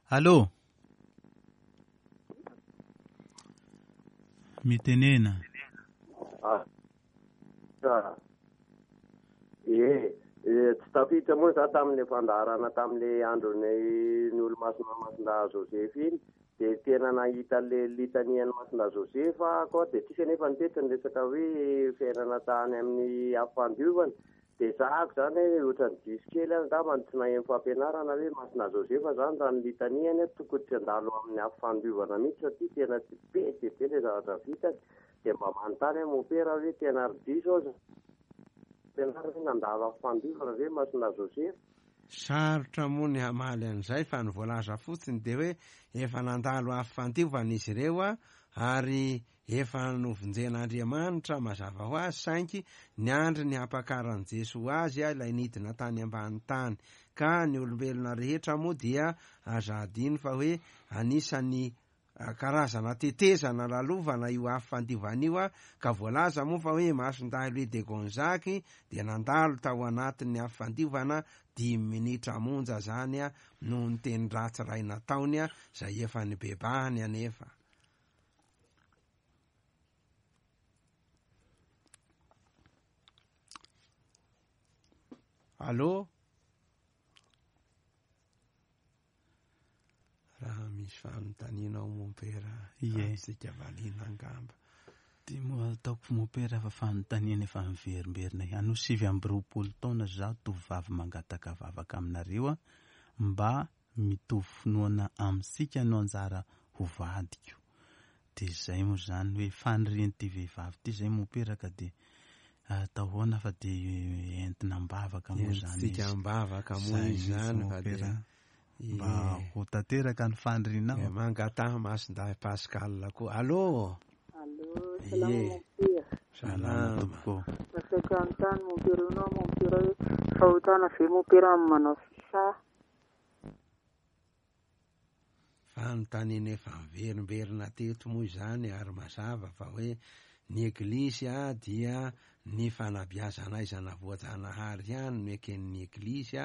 Allô? Mitenena. Ah. Ie, tsy tafiditra moa za tamin'ilay fandaharana tamin'ilay andron'ny ny olomasina Masindahy Joseph iny, dia tena nahita an'ilay litanian'ny Masindahy Joseph aho koa, dia tsisy anefa nitety ny resaka hoe fiainana tany amin'ny afo fandiovana, dia zahako izany hoe ohatran'ny diso kely aho angamba no tsy naheno fampianarana hoe Masindahy Joseph izany raha ny litaniany tokony tsy handalo amin'ny afo fandiovana mihitsy satria tena tsy be dia be ilay zavatra vitany, dia mba manontany aho mompera hoe tena ry diso aho izany fampianarana hoe nandalo afo fandiovana ve Masindahy Joseph? Sarotra moa ny hamaly an'izay fa ny voalaza fotsiny dia hoe efa nandalo afo fandiovana izy ireo ary efa novonjen'Andriamanitra mazava ho azy saingy niandry ny hampakaran'i Jesoa azy ilay nidina tany ambany tany ka ny olombelona rehetra moa dia aza adino fa hoe anisan'ny karazana tetezana lalovana io afo fandiovana io ka voalaza moa fa hoe Masindahy Louis de Gonzague dia nandalo tao anatin'ny afo fandiovana 5 minitra monja zany noho ny teny ratsy iray nataony izay efa nibebahany anefa. Allô? Raha misy fanontaniana ao mompera, azontsika valiana angamba. Dia moa ataoko mompera fa fanontaniana efa miverimberina ihany. Ho 29 taona zaho tovovavy mangataka vavaka aminareo mba mitovy finoana amintsika no anjara ho vadiko. Dia izay moa izany hoe fanirian'ity vehivavy ity izay mompera ka dia atao ahoana fa dia entina am-bavaka moa izany izy. Entintsika am-bavaka moa Izay izy mihitsy izany fa mompera. dia Mba ho tanteraka ny fanirianao. Dia mangataha Masindahy Pascal koa. Allô? Allô, salama Ie. mompera. Salama tompoko. Nasaiko hanontany mompera io anao mompera hoe fahotana ve mompera amin'ny manao fisa? Fanontaniana efa miverimberina teto moa izany ary mazava fa hoe ny Eglisy dia ny fanabeazana aizana voajanahary ihany no eken'ny Eglisy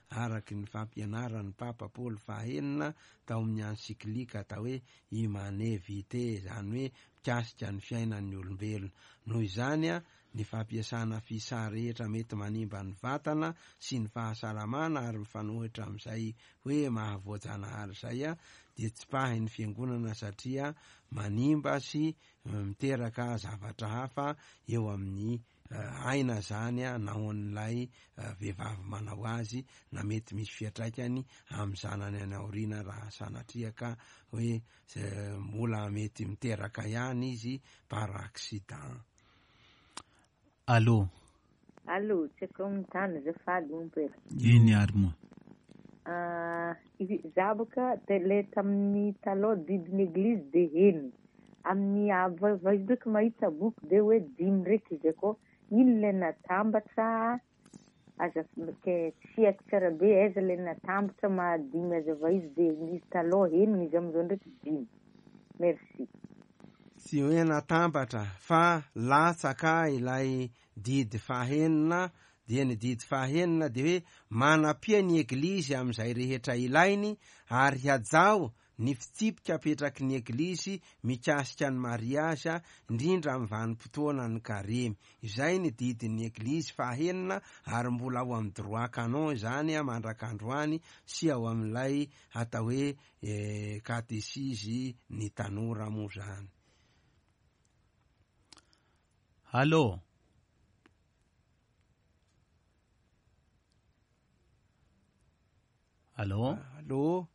araky ny fampianaran'ny Papa Paoly fahenina tao amin'ny encyclique atao hoe Humanae Vitae, izany hoe mikasika ny fiainan'ny olombelona. Noho izany, ny fampiasana fisa rehetra mety manimba ny vatana sy ny fahasalamana ary mifanohitra amin'izay hoe mahavoajanahary izay dia tsipahin'ny fiangonana satria manimba sy miteraka zavatra hafa eo amin'ny aina izany na ho an'ilay vehivavy manao azy na mety misy fiantraikany amin'ny zanany any aoriana raha sanatria ka hoe mbola mety miteraka ihany izy par accident. Allô? Allô, tsy haiko amin'ny tany azafady mompera. Eny ary moa. Ah, za boka le tamin'ny taloha didin'ny eglizy de heno. Amin'ny ava izy ndraiky mahita boky de hoe dimy ndraiky izy akao. Ino le natambatra aza ke tsy haiko tsara be aiza le natambatra mahadimy azava izy de izy taloha henony izy amizao ndraiky dimy. Merci. Tsy hoe natambatra fa latsaka ilay didy fahenina, dia ny didy fahenina dia hoe manampia ny eglizy amin'izay rehetra ilainy ary hajao ny fitsipika apetraky ny eglizy mikasika ny mariazy, indrindra amin'ny vanim-potoana ny karemy. Izay ny didin'ny eglizy fahenina ary mbola ao amin'ny droit canon izany mandrak'androany sy ao amin'ilay atao hoe katesizy ny tanora moa zany. Allô. Allô. Allô.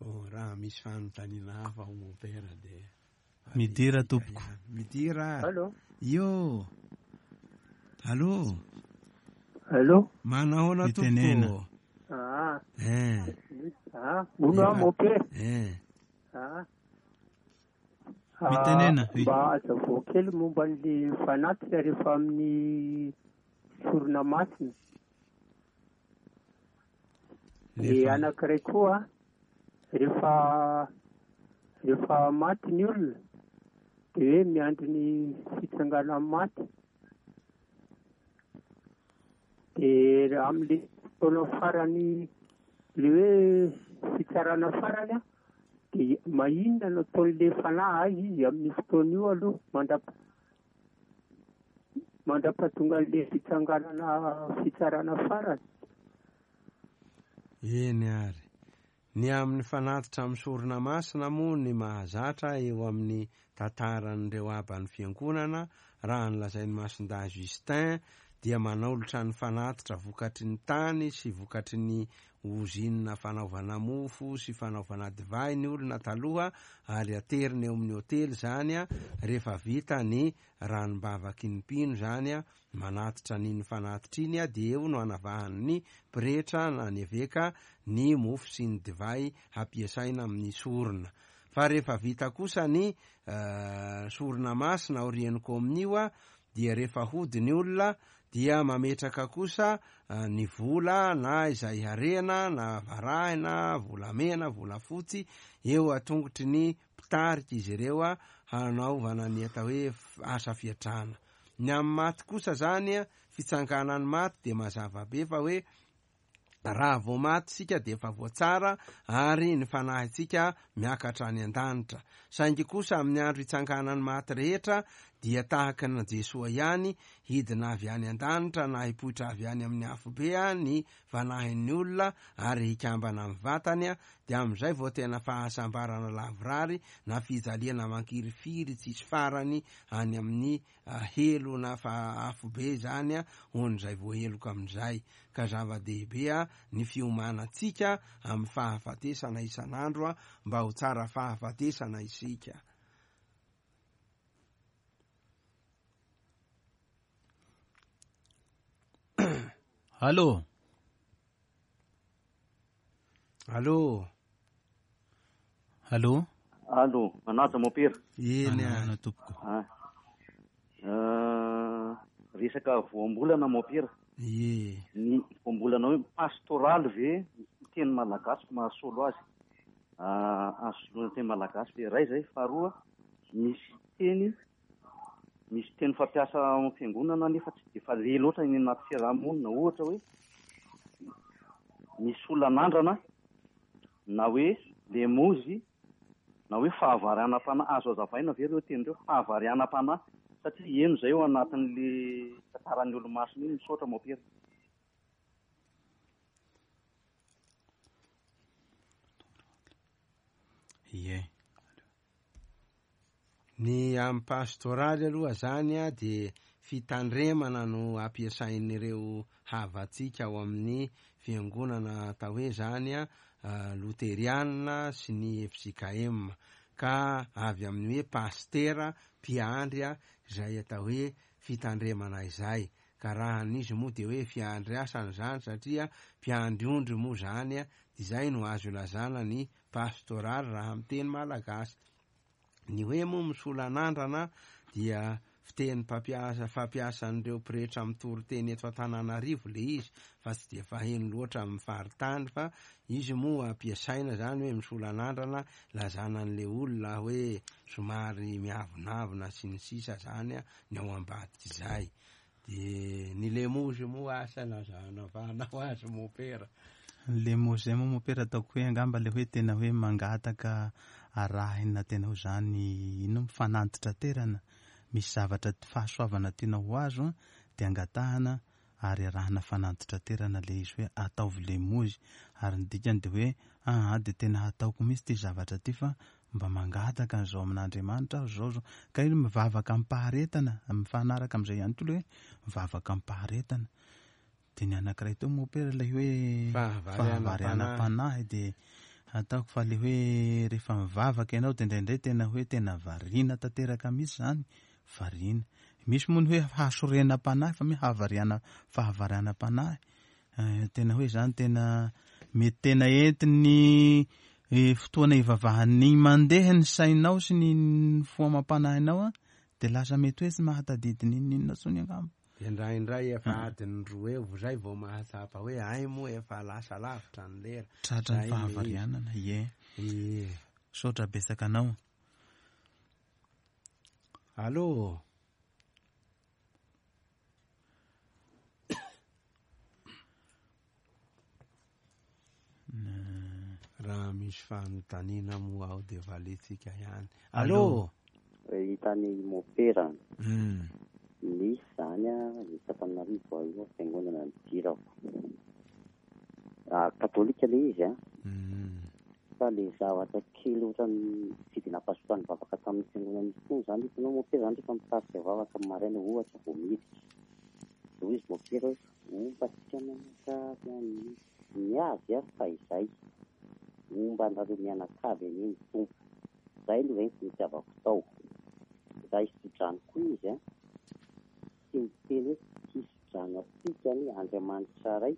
Oh, raha misy fanontaniana hafa ho mompera de Midira tompoko. Midira. Allô. Io. Allô. Allô. Manahoana Mitenena. tompoko. Ah. Eh. Ah, hono aho mompera. Eh. Ah. Mitenena, oui. Mba azavao kely momba an'le fanatitra rehefa amin'ny sorona masina. Le anankiray koa rehefa rehefa maty ny olona de hoe miandry ny fitsanganan'ny maty. De amin'le fotoana farany le hoe fitsarana farany a, de maninona no ataon'le fanahy aiza izy amin'ny fotoana io aloha mandra- mandra-pahatonga an'le fitsanganana fitsarana farany. Eny ary. Ny amin'ny fanatitra amin'ny sorona masina moa ny mahazatra eo amin'ny tantaran'ireo aban'ny fiangonana, raha ny lazain'i Masindahy Justin dia manolotra ny fanatitra vokatry ny tany sy vokatry ny ozinina fanaovana mofo sy fanaovana divay ny olona taloha ary aterina eo amin'ny hotely zany a, rehefa vita ny ranombavaky ny mpino zany a, manatitra an'iny fanatitra iny a, dia eo no anavahan'ny pretra na ny eveka ny mofo sy ny divay hampiasaina amin'ny sorona. Fa rehefa vita kosa ny sorona masina aorian'ny kominio a, dia rehefa hody ny olona dia mametraka kosa ny vola na izay harena na varahina, volamena, volafotsy eo atongotry ny mpitarika izy ireo a, hanaovana ny atao hoe asa fiatrana. Ny amin'ny maty kosa zany a, fitsanganan'ny maty dia mazava be fa hoe raha vao maty isika dia efa voatsara ary ny fanahintsika miakatra any an-danitra. Saingy kosa amin'ny andro hitsanganan'ny maty rehetra dia tahaka ny Jesoa ihany, hidina avy any an-danitra na hipoitra avy any amin'ny afobe ny fanahin'ny olona ary hikambana amin'ny vatany, dia amin'izay vao tena fahasambarana lavorary na fijaliana mankirifiry tsisy farany any amin'ny helo na afobe zany hon'izay voaheloka amin'izay. Ka zava-dehibe ny fiomanantsika amin'ny fahafatesana isan'andro mba ho tsara fahafatesana isika. Allô. Allô. Allô. Allô, manaja mompera. Eny a. Tompoko. Ah. Resaka voambolana mompera. Ie. Ny voambolana hoe pastoraly ve teny malagasy mahasolo azy? Azo soloina teny malagasy ve? Iray zay, faharoa misy teny misy teny fampiasa ao amin'ny fiangonana nefa tsy dia fale loatra eny anaty fiarahamonina, ohatra hoe misy olona anandrana na hoe lemozy na hoe fahavarianam-panahy. Azo azavaina ve ireo teny ireo? Fahavarianam-panahy, satria eno zay ao anatin'le tantaran'ny olomasina iny. Misaotra mompera. Ie. Ny amin'ny pastoraly aloha zany a dia fitandremana no ampiasain'ireo havantsika ao amin'ny fiangonana atao hoe zany a loterianina sy ny FJKM, ka avy amin'ny hoe pastera mpiandry a izay atao hoe fitandremana izay. Ka raha an'izy moa dia hoe fiandriasana izany satria mpiandry ondry moa izany dia izay no azo ilazana ny pastoraly raha amin'ny teny malagasy. Ny hoe moa misolo anandrana dia fiteny mpampiasa fampiasan'ireo pretra mitory teny eto Antananarivo le izy fa tsy dia faheno loatra amin'ny faritany fa izy moa ampiasaina zany hoe misolo anandrana lazana an'le olona hoe somary miavonavona sy ny sisa zany ny ao ambadik'izay. De ny lemozy moa asa nazanavanao azy mopera. Ny lemozy zay moa mopera ataoko hoe angamba le hoe tena hoe mangataka arahina tena ho zany ino fanantitraterana misy zavatra fahasoavana tiana ho azo an de angatahana ary arahina fanantitraterana le izy hoe ataovy lemozy ary ny dikany de hoe aa de tena hataoko mihitsy ty zavatra ty fa mba mangataka an'izao amin'Andriamanitra aho zao zao ka io mivavaka amim-paharetana mifanaraka amin'izay ihany koa le hoe mivavaka amim-paharetana de ny anankiray teo mopera ilay hoe fahavarianam-panahy de ataoko fa le hoe rehefa mivavaka ianao de indraindray tena hoe tena variana tanteraka mihitsy zany variana misy moa ny hoe hasorenam-panahy fa mi havariana fahavarianam-panahy Tena hoe zany tena mety tena entin'ny fotoana ivavahan'ny mandeha ny sainao sy ny fo amam-panahinao an, de lasa mety hoe tsy mahatadidy n'inon'inona intsony angamba. De indraindray efa adiny roa eo vao zay vao mahatsapa hoe hay moa efa lasa lavitra ny lera. Tratra ny fahavarianana, ie. Ie. Misaotra betsaka anao. Allô. Raha misy fanontaniana moa ao dia valintsika ihany. Allô? Hitan'i Mopera. Nisy izany eto Antananarivo aho io fiangonana nidirako. Katolika ilay izy an. Fa ilay zavatra kely ohatran'ny tsy dia nampazoto ahy nivavaka tamin'ny fiangonana intsony izany, hitanao Mopera izany rehefa mitarika vavaka amin'ny maraina ohatra vao miditra. Dia hoy izy Mopera hoe homba antsika mianakavy anie. Ny azy ary fa izay. Homba anareo mianakavy anie ny Tompo. Izay no reniko nitiavako tao. Raha hisodrano koa izy an, tsy miteny hoe hisodrano antsika anie Andriamanitra Ray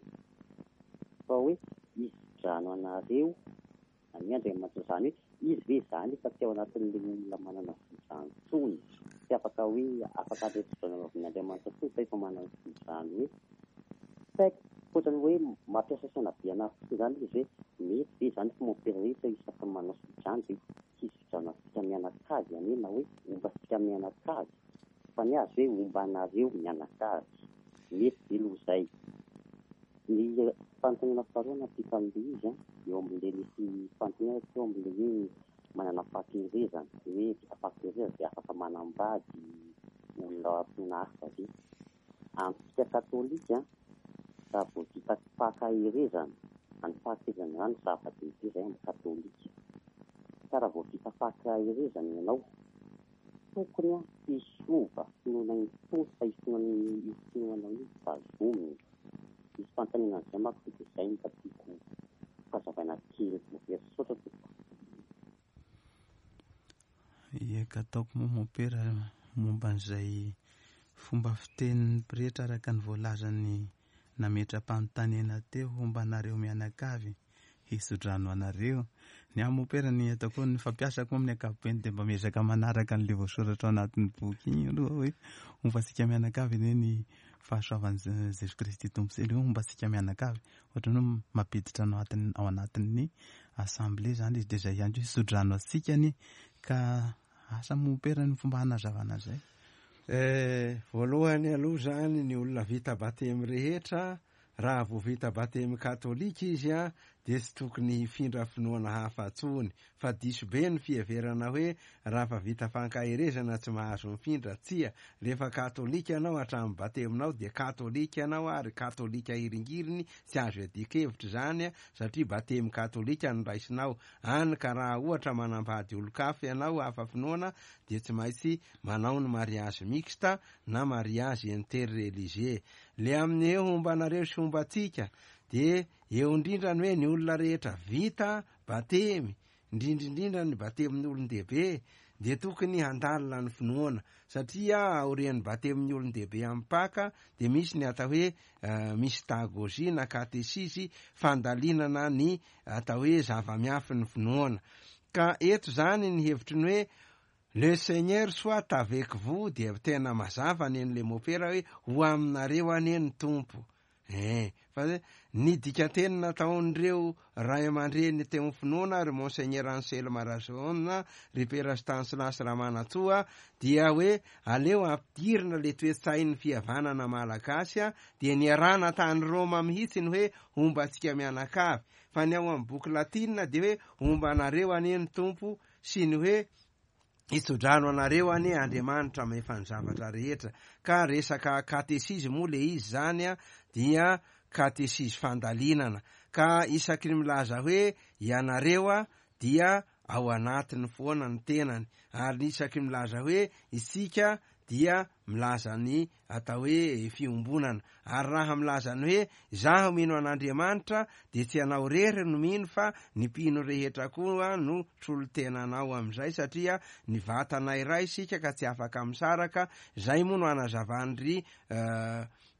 fa hoe hisodrano anareo anie Andriamanitra. Izany hoe izy ve izany efa tsy ao anatin'ilay olona manana sodrano intsony, tsy afaka hoe afaka handray sodrano avy amin'Andriamanitra intsony fa efa manana sodrano hoe tsy haiko, ohatran'ny hoe mampiasa saina be anah fotsiny izany ilay izy hoe mety ve izany fa mompera rehetra isaky ny manao sodrano dia hisodrano antsika mianakavy anie na hoe homba antsika mianakavy fa ny azy hoe homba anareo mianakavy. Mety ve aloha izay? Ny fanontaniana faharoa nampita an'ilay izy an, eo amin'ilay nisy fanontaniana teo amin'ilay hoe manana fahakerezana, hoe vita fahakerezana dia afaka manambady olona finoana hafa ve? Amintsika katolika an, raha vao vita fahakerezana, izany fahakerezana izany zava-dehibe izay amin'ny katolika. Ka raha vao vita fahakerezana ianao, tokony tsy hiova finoana intsony fa io finoana io finoanao io tazomina. Misy fanontaniana an'izay manko dia izay no mba tiako hazavaina kely. Very misaotra tompoko. Eka ataoko moa mompera momba an'izay fomba fitenin'ny pretra araka ny voalazan'ny nametra-panontaniana teo homba anareo mianakavy hisodrano anareo. Ny ahy mompera ny ataoko hoe ny fampiasako moa amin'ny ankapobeny dia mba miezaka manaraka an'ilay voasoratra ao anatin'ny boky iny aloha hoe homba antsika mianakavy anie ny fahasoavan'i Jesosy Kristy Tompo sy ilay hoe homba antsika mianakavy. Ohatran'ny hoe mampiditra anao ao anatin'ny assemblée izany izy dia izay ihany koa hisodrano antsika anie ka asa mompera ny fomba hanazavana an'izay. Eh, voalohany aloha izany ny olona vita batemy rehetra Raha vao vita batemy katolika izy dia tsy tokony hifindra finoana hafa tsony fa diso be ny fiheverana hoe rafa vita fankaherezana tsy mahazo mifindra, tsia, rehefa katolika ianao hatramin'ny bateminao dia katolika ianao ary katolika hiringiriny tsy azo iadian-kevitra izany satria batemy katolika no raisinao, any ka raha ohatra manambady olon-kafa ianao hafa finoana dia tsy maintsy manao ny mariage mixte na mariage interreligieux. Le amin'ny hoe homba anareo sy homba antsika de eo indrindra ny hoe ny olona rehetra vita batemy, indrindra indrindra ny batemin'ny olon-dehibe. dia tokony handalina ny finoana satria aorian'ny batemin'ny olon-dehibe amin'ny Paka dia misy ny atao hoe mystagogie na katesizy, fandalinana ny atao hoe zava-miafin'ny finoana. Ka eto izany ny hevitry ny hoe Le Seigneur soit avec vous dia tena mazava ny an'ilay mopera hoe ho aminareo anie ny Tompo. Eh, fa ny dikanteny nataon'ireo ray aman-dreny teo amin'ny finoana, ry Monseigneur Anselme Rajaona, ry Pera Stanislas Ramanantsoa, dia hoe aleo ampidirina le toe-tsain'ny fihavanana malagasy, dia niarahana tany Roma mihitsy ny hoe homba antsika mianakavy. Fa ny ao amin'ny boky latinina dia hoe homba anareo anie ny Tompo sy ny hoe hitsodrano anareo anie Andriamanitra mahefa ny zavatra rehetra. Ka resaka katesizy moa le izy zany a, dia katesizy fandalinana. Ka isaky ny milaza hoe ianareo a, dia ao anatiny foana ny tenany. Ary isaky ny milaza hoe isika dia milaza ny atao hoe fiombonana. Ary raha milaza ny hoe izaho mino an'Andriamanitra dia tsy ianao irery no mino fa ny mpino rehetra koa no solontenanao amin'izay satria ny vatana iray isika ka tsy afaka misaraka, izay moa no anazavan'ry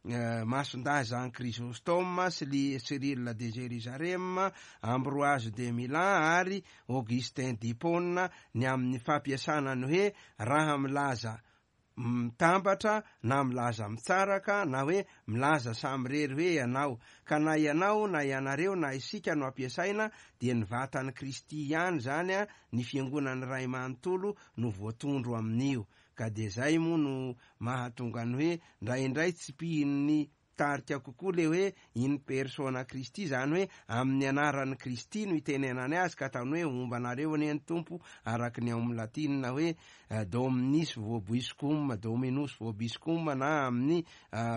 Masindahy Jean Chrysostome sy Cyrille de Jérusalem, Ambroise de Milan ary Augustin d'Hippone ny amin'ny fampiasana ny hoe raha milaza mitambatra na milaza mitsaraka na hoe milaza samirery hoe ianao. Ka na ianao na ianareo na isika no ampiasaina dia ny vatan'i Kristy ihany izany, ny fiangonan'ny Ray manontolo no voatondro amin'io. Ka dia izay moa no mahatonga ny hoe ndraindray tsipihin'ny Mitarika kokoa le hoe in persona Christi, izany hoe amin'ny anaran'i Kristy no itenenany azy ka ataony hoe homba anareo anie ny Tompo araka ny ao amin'ny latinina hoe Dominis vobiscum, Dominus vobiscum na amin'ny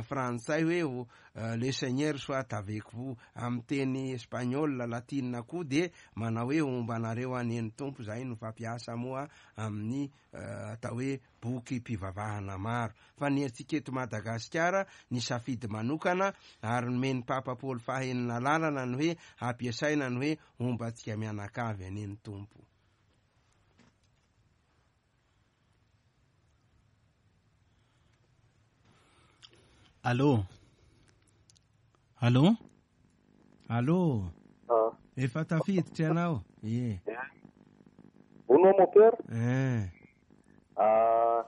frantsay hoe Le Seigneur soit avec vous. Amin'ny teny espagnol, latinina koa dia manao hoe homba anareo anie ny Tompo, izay no fampiasa moa amin'ny atao hoe bokim-pivavahana maro. Fa ny antsika eto Madagasikara, nisafidy manokana ary nomen'ny Papa Paoly faha-enina lalana ny hoe hampiasaina ny hoe homba antsika mianakavy anie ny Tompo. Allô? Allô? Allô? Ah. Efa tafiditra ianao? Ie. Hono mon père? Eh. Ah,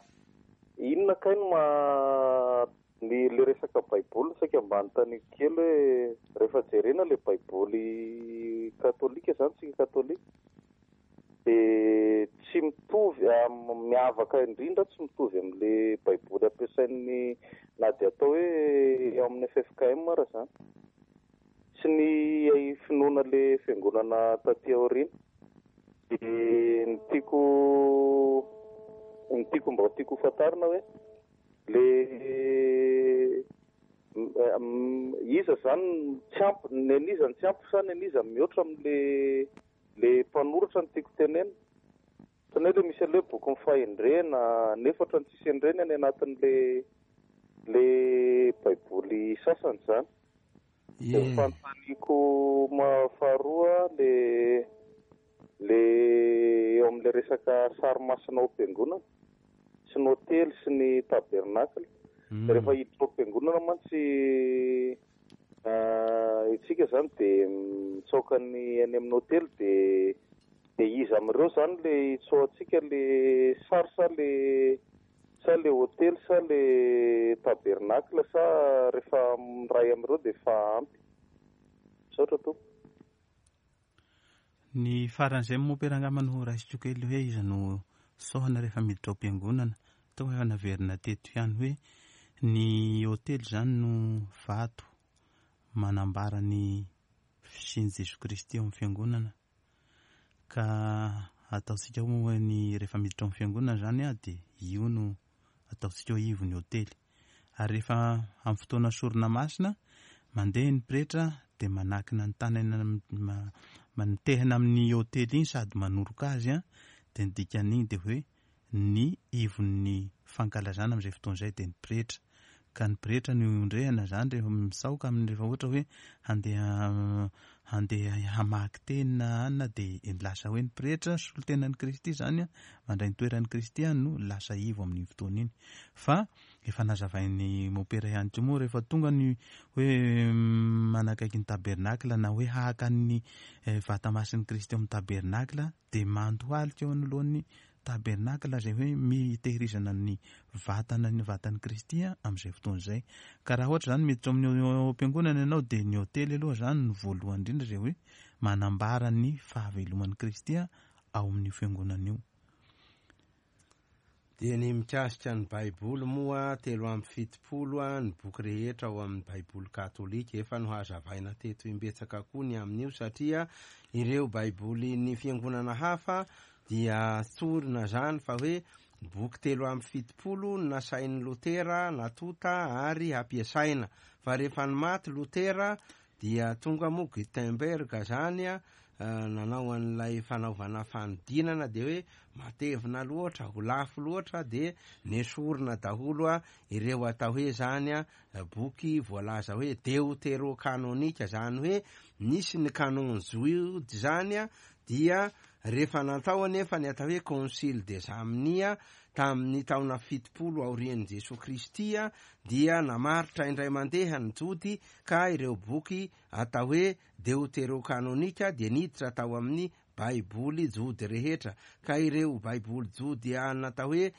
inona kay no maha ny le resaka baiboly saika mba anontaniako kely hoe rehefa jerena le baiboly katolika zany tsika katolika de tsy mitovy miavaka indrindra tsy mitovy amin'le baiboly ampiasain'ny na dia atao hoe ao amin'ny ffkm ara zany sy ny finoana le fiangonana taty aoriana. Dia ny tiako ny tiako mba tiako ho fantarina hoe le iza zany tsy ampy ny an'iza no tsy ampy sa ny an'iza no mihoatra amin'le le mpanoratra no tiako tenenina. Ohatran'ny hoe le misy an'le hoe bokin'ny fahendrena nefa ohatran'ny tsisy an'ireny any anatin'le le baiboly sasany zany. Dia ny fanontaniako faharoa le le eo amin'ilay resaka sary masina ao am-piangonana sy ny hotely sy ny tabernacle. Rehefa hiditra ao am-piangonana mantsy isika izany dia mitsaoka ny any amin'ny hotely dia dia iza amin'ireo izany le hitsaohantsika le sary sa le Sa le hotely sa le tabernacle sa rehefa miray amin'ireo dia efa ampy? Misaotra tompoko. Ny faran'izay mompera angamba no raisiko kely hoe iza no saohana rehefa miditra ao am-piangonana. Toa efa naverina teto ihany hoe ny hotely izany no vato manambara ny fisian'i Jesoa Kristy ao amin'ny fiangonana. Ka ataontsika hoe ny rehefa miditra ao amin'ny fiangonana izany aho dia io no ataontsika hoe ivon'ny hotely. Ary rehefa amin'ny fotoana sorona masina, mandeha ny pretra dia manakina ny tanany mitehina amin'ny hotely iny sady manoroka azy dia ny dikan'iny dia hoe ny ivon'ny fankalazana amin'izay fotoana izay dia ny pretra. Ka ny pretra no iondrehana izany rehefa misaoka amin'ny rehefa ohatra hoe handeha handeha hamaky teny na anona dia lasa hoe ny pretra solontenan'i Kristy izany mandray ny toeran'i Kristy no lasa ivo amin'iny fotoana iny. Fa efa nazavain'i Mopera ihany koa moa rehefa tonga ny hoe manakaiky ny tabernakla na hoe haka ny vata masin'i Kristy ao amin'ny tabernakla dia mandohalika eo anoloan'ny tabernakla izay hoe mitehirizana ny vatana ny vatan'i Kristy amin'izay fotoana izay. Ka raha ohatra izany miditra ao amin'ny ao am-piangonana ianao dia ny ôtely aloha izany no voalohany indrindra izay hoe manambara ny fahaveloman'i Kristy ao amin'io fiangonana io. Dia ny mikasika ny Baiboly moa, 73 ny boky rehetra ao amin'ny Baiboly katolika. Efa nohazavaina teto imbetsaka koa ny amin'io satria ireo Baibolin'ny fiangonana hafa dia tsorina izany fa hoe boky 73 no nasain'i Lotera natonta ary hampiasaina. Fa rehefa nimaty Lotera Dia tonga moa Gutenberg zany nanao an'ilay fanaovana fanodinana dia hoe matevina loatra, ho lafo loatra dia nesorina daholo ireo atao hoe zany boky voalaza hoe deoterokanonika, zany hoe nisy ny canon jody zany dia rehefa natao anefa ny atao hoe concile de Jamnia tamin'ny taona 70 aorian'i Jesoa Kristy dia namaritra indray mandeha ny jody ka ireo boky atao hoe deoterokanonika dia niditra tao amin'ny Baiboly jody rehetra, ka ireo Baiboly jody natao hoe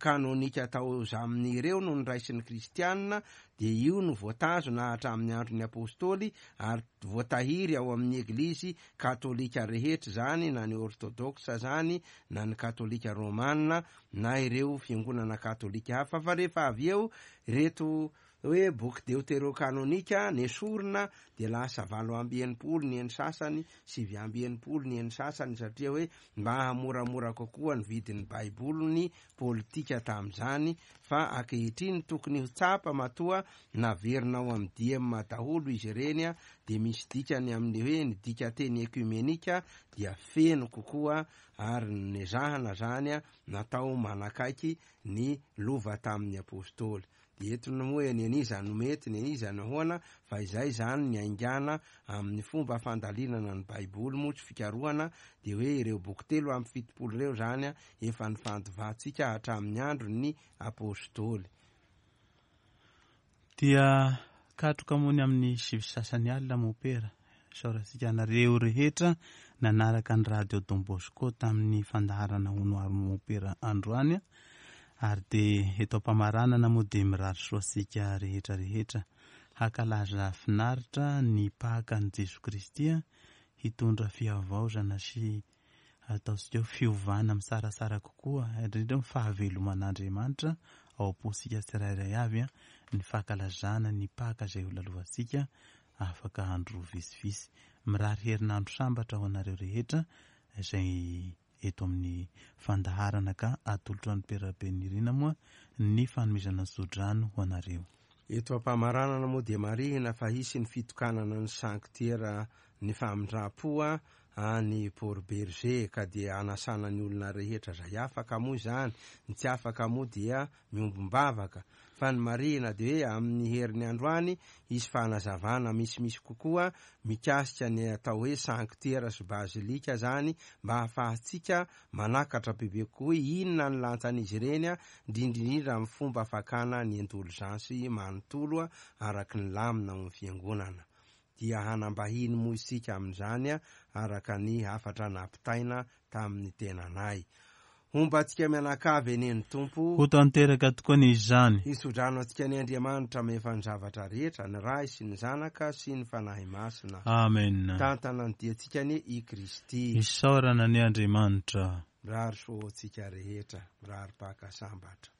kanonika tao zaminy ireo no noraisin'ny Kristianina, dia io no voatazona hatramin'ny andron'ny Apostoly ary voatahiry ao amin'ny Eglizy katolika rehetra izany, na ny Ortodoksa izany, na ny Katolika Romana, na ireo fiangonana katolika hafa, fa rehefa avy eo ireto Hoe boky deoterokanonika nesorina dia lasa 68 ny eny sasany, 69 ny eny sasany satria hoe mba hahamoramora kokoa ny vidin'ny baiboly ny politika tamin'izany fa ankehitriny tokony ho tsapa matoa naverina ao amin'ny diem daholo izy ireny dia misy dikany amin'ny hoe ny dikateny ekumenika dia feno kokoa ary nezahana izany natao manakaiky ny lova tamin'ny apostoly. Dia eto ny moa ny an'iza no mety, ny an'iza no ahoana, fa izay izany ny haingana amin'ny fomba fandalinana ny Baiboly moa tsy fikarohana, dia hoe ireo boky 73 ireo izany efa nifandovantsika hatramin'ny andron'ny Apostoly. Dia katroka moa ny amin'ny sivy sy sasany alina Mopera. Isaorantsika anareo rehetra nanaraka ny Radio Don Bosco tamin'ny fandaharana Hono Ary Mompera androany ary dia eto am-pamaranana moa dia mirary soa antsika rehetra rehetra hankalaza finaritra ny Pakan'i Jesoa Kristy hitondra fihavaozana sy ataontsika hoe fiovana misarasara kokoa indrindra ny fahaveloman'Andriamanitra ao am-pontsika tsirairay avy ny fankalazana ny Paka izay ho lalovantsika afaka andro vitsivitsy. Mirary herinandro sambatra ho anareo rehetra izay eto amin'ny fandaharana ka atolotro an'i Père Rabenirina moa ny fanomezana ny tsodrano ho anareo. Eto am-pamaranana moa dia marihina fa hisy ny fitokanana ny sanktiera ny famindram-po any Port Bergé ka dia anasana ny olona rehetra izay afaka moa izany, ny tsy afaka moa dia miombom-bavaka. Fa ny marihina dia hoe amin'ny heriny androany hisy fanazavana misimisy kokoa mikasika ny atao hoe sanktiera sy bazilika izany mba hahafahantsika manakatra bebe kokoa hoe inona ny lanjan'izy ireny indrindra indrindra amin'ny fomba fakana ny indolzansy manontolo araka ny lamina ao amin'ny fiangonana. Dia hanam-bahiny moa isika amin'izany araka ny hafatra nampitaina tamin'ny tenanay. Homba antsika mianakavy anie ny Tompo. Ho tanteraka tokoa anie izany. Hitsodrano antsika anie Andriamanitra mahefa ny zavatra rehetra, ny Ray sy ny Zanaka sy ny Fanahy Masina. Amen. Tantana ny diantsika anie i Kristy. Isaorana anie Andriamanitra. Mirary soa ho antsika rehetra. Mirary Paka sambatra.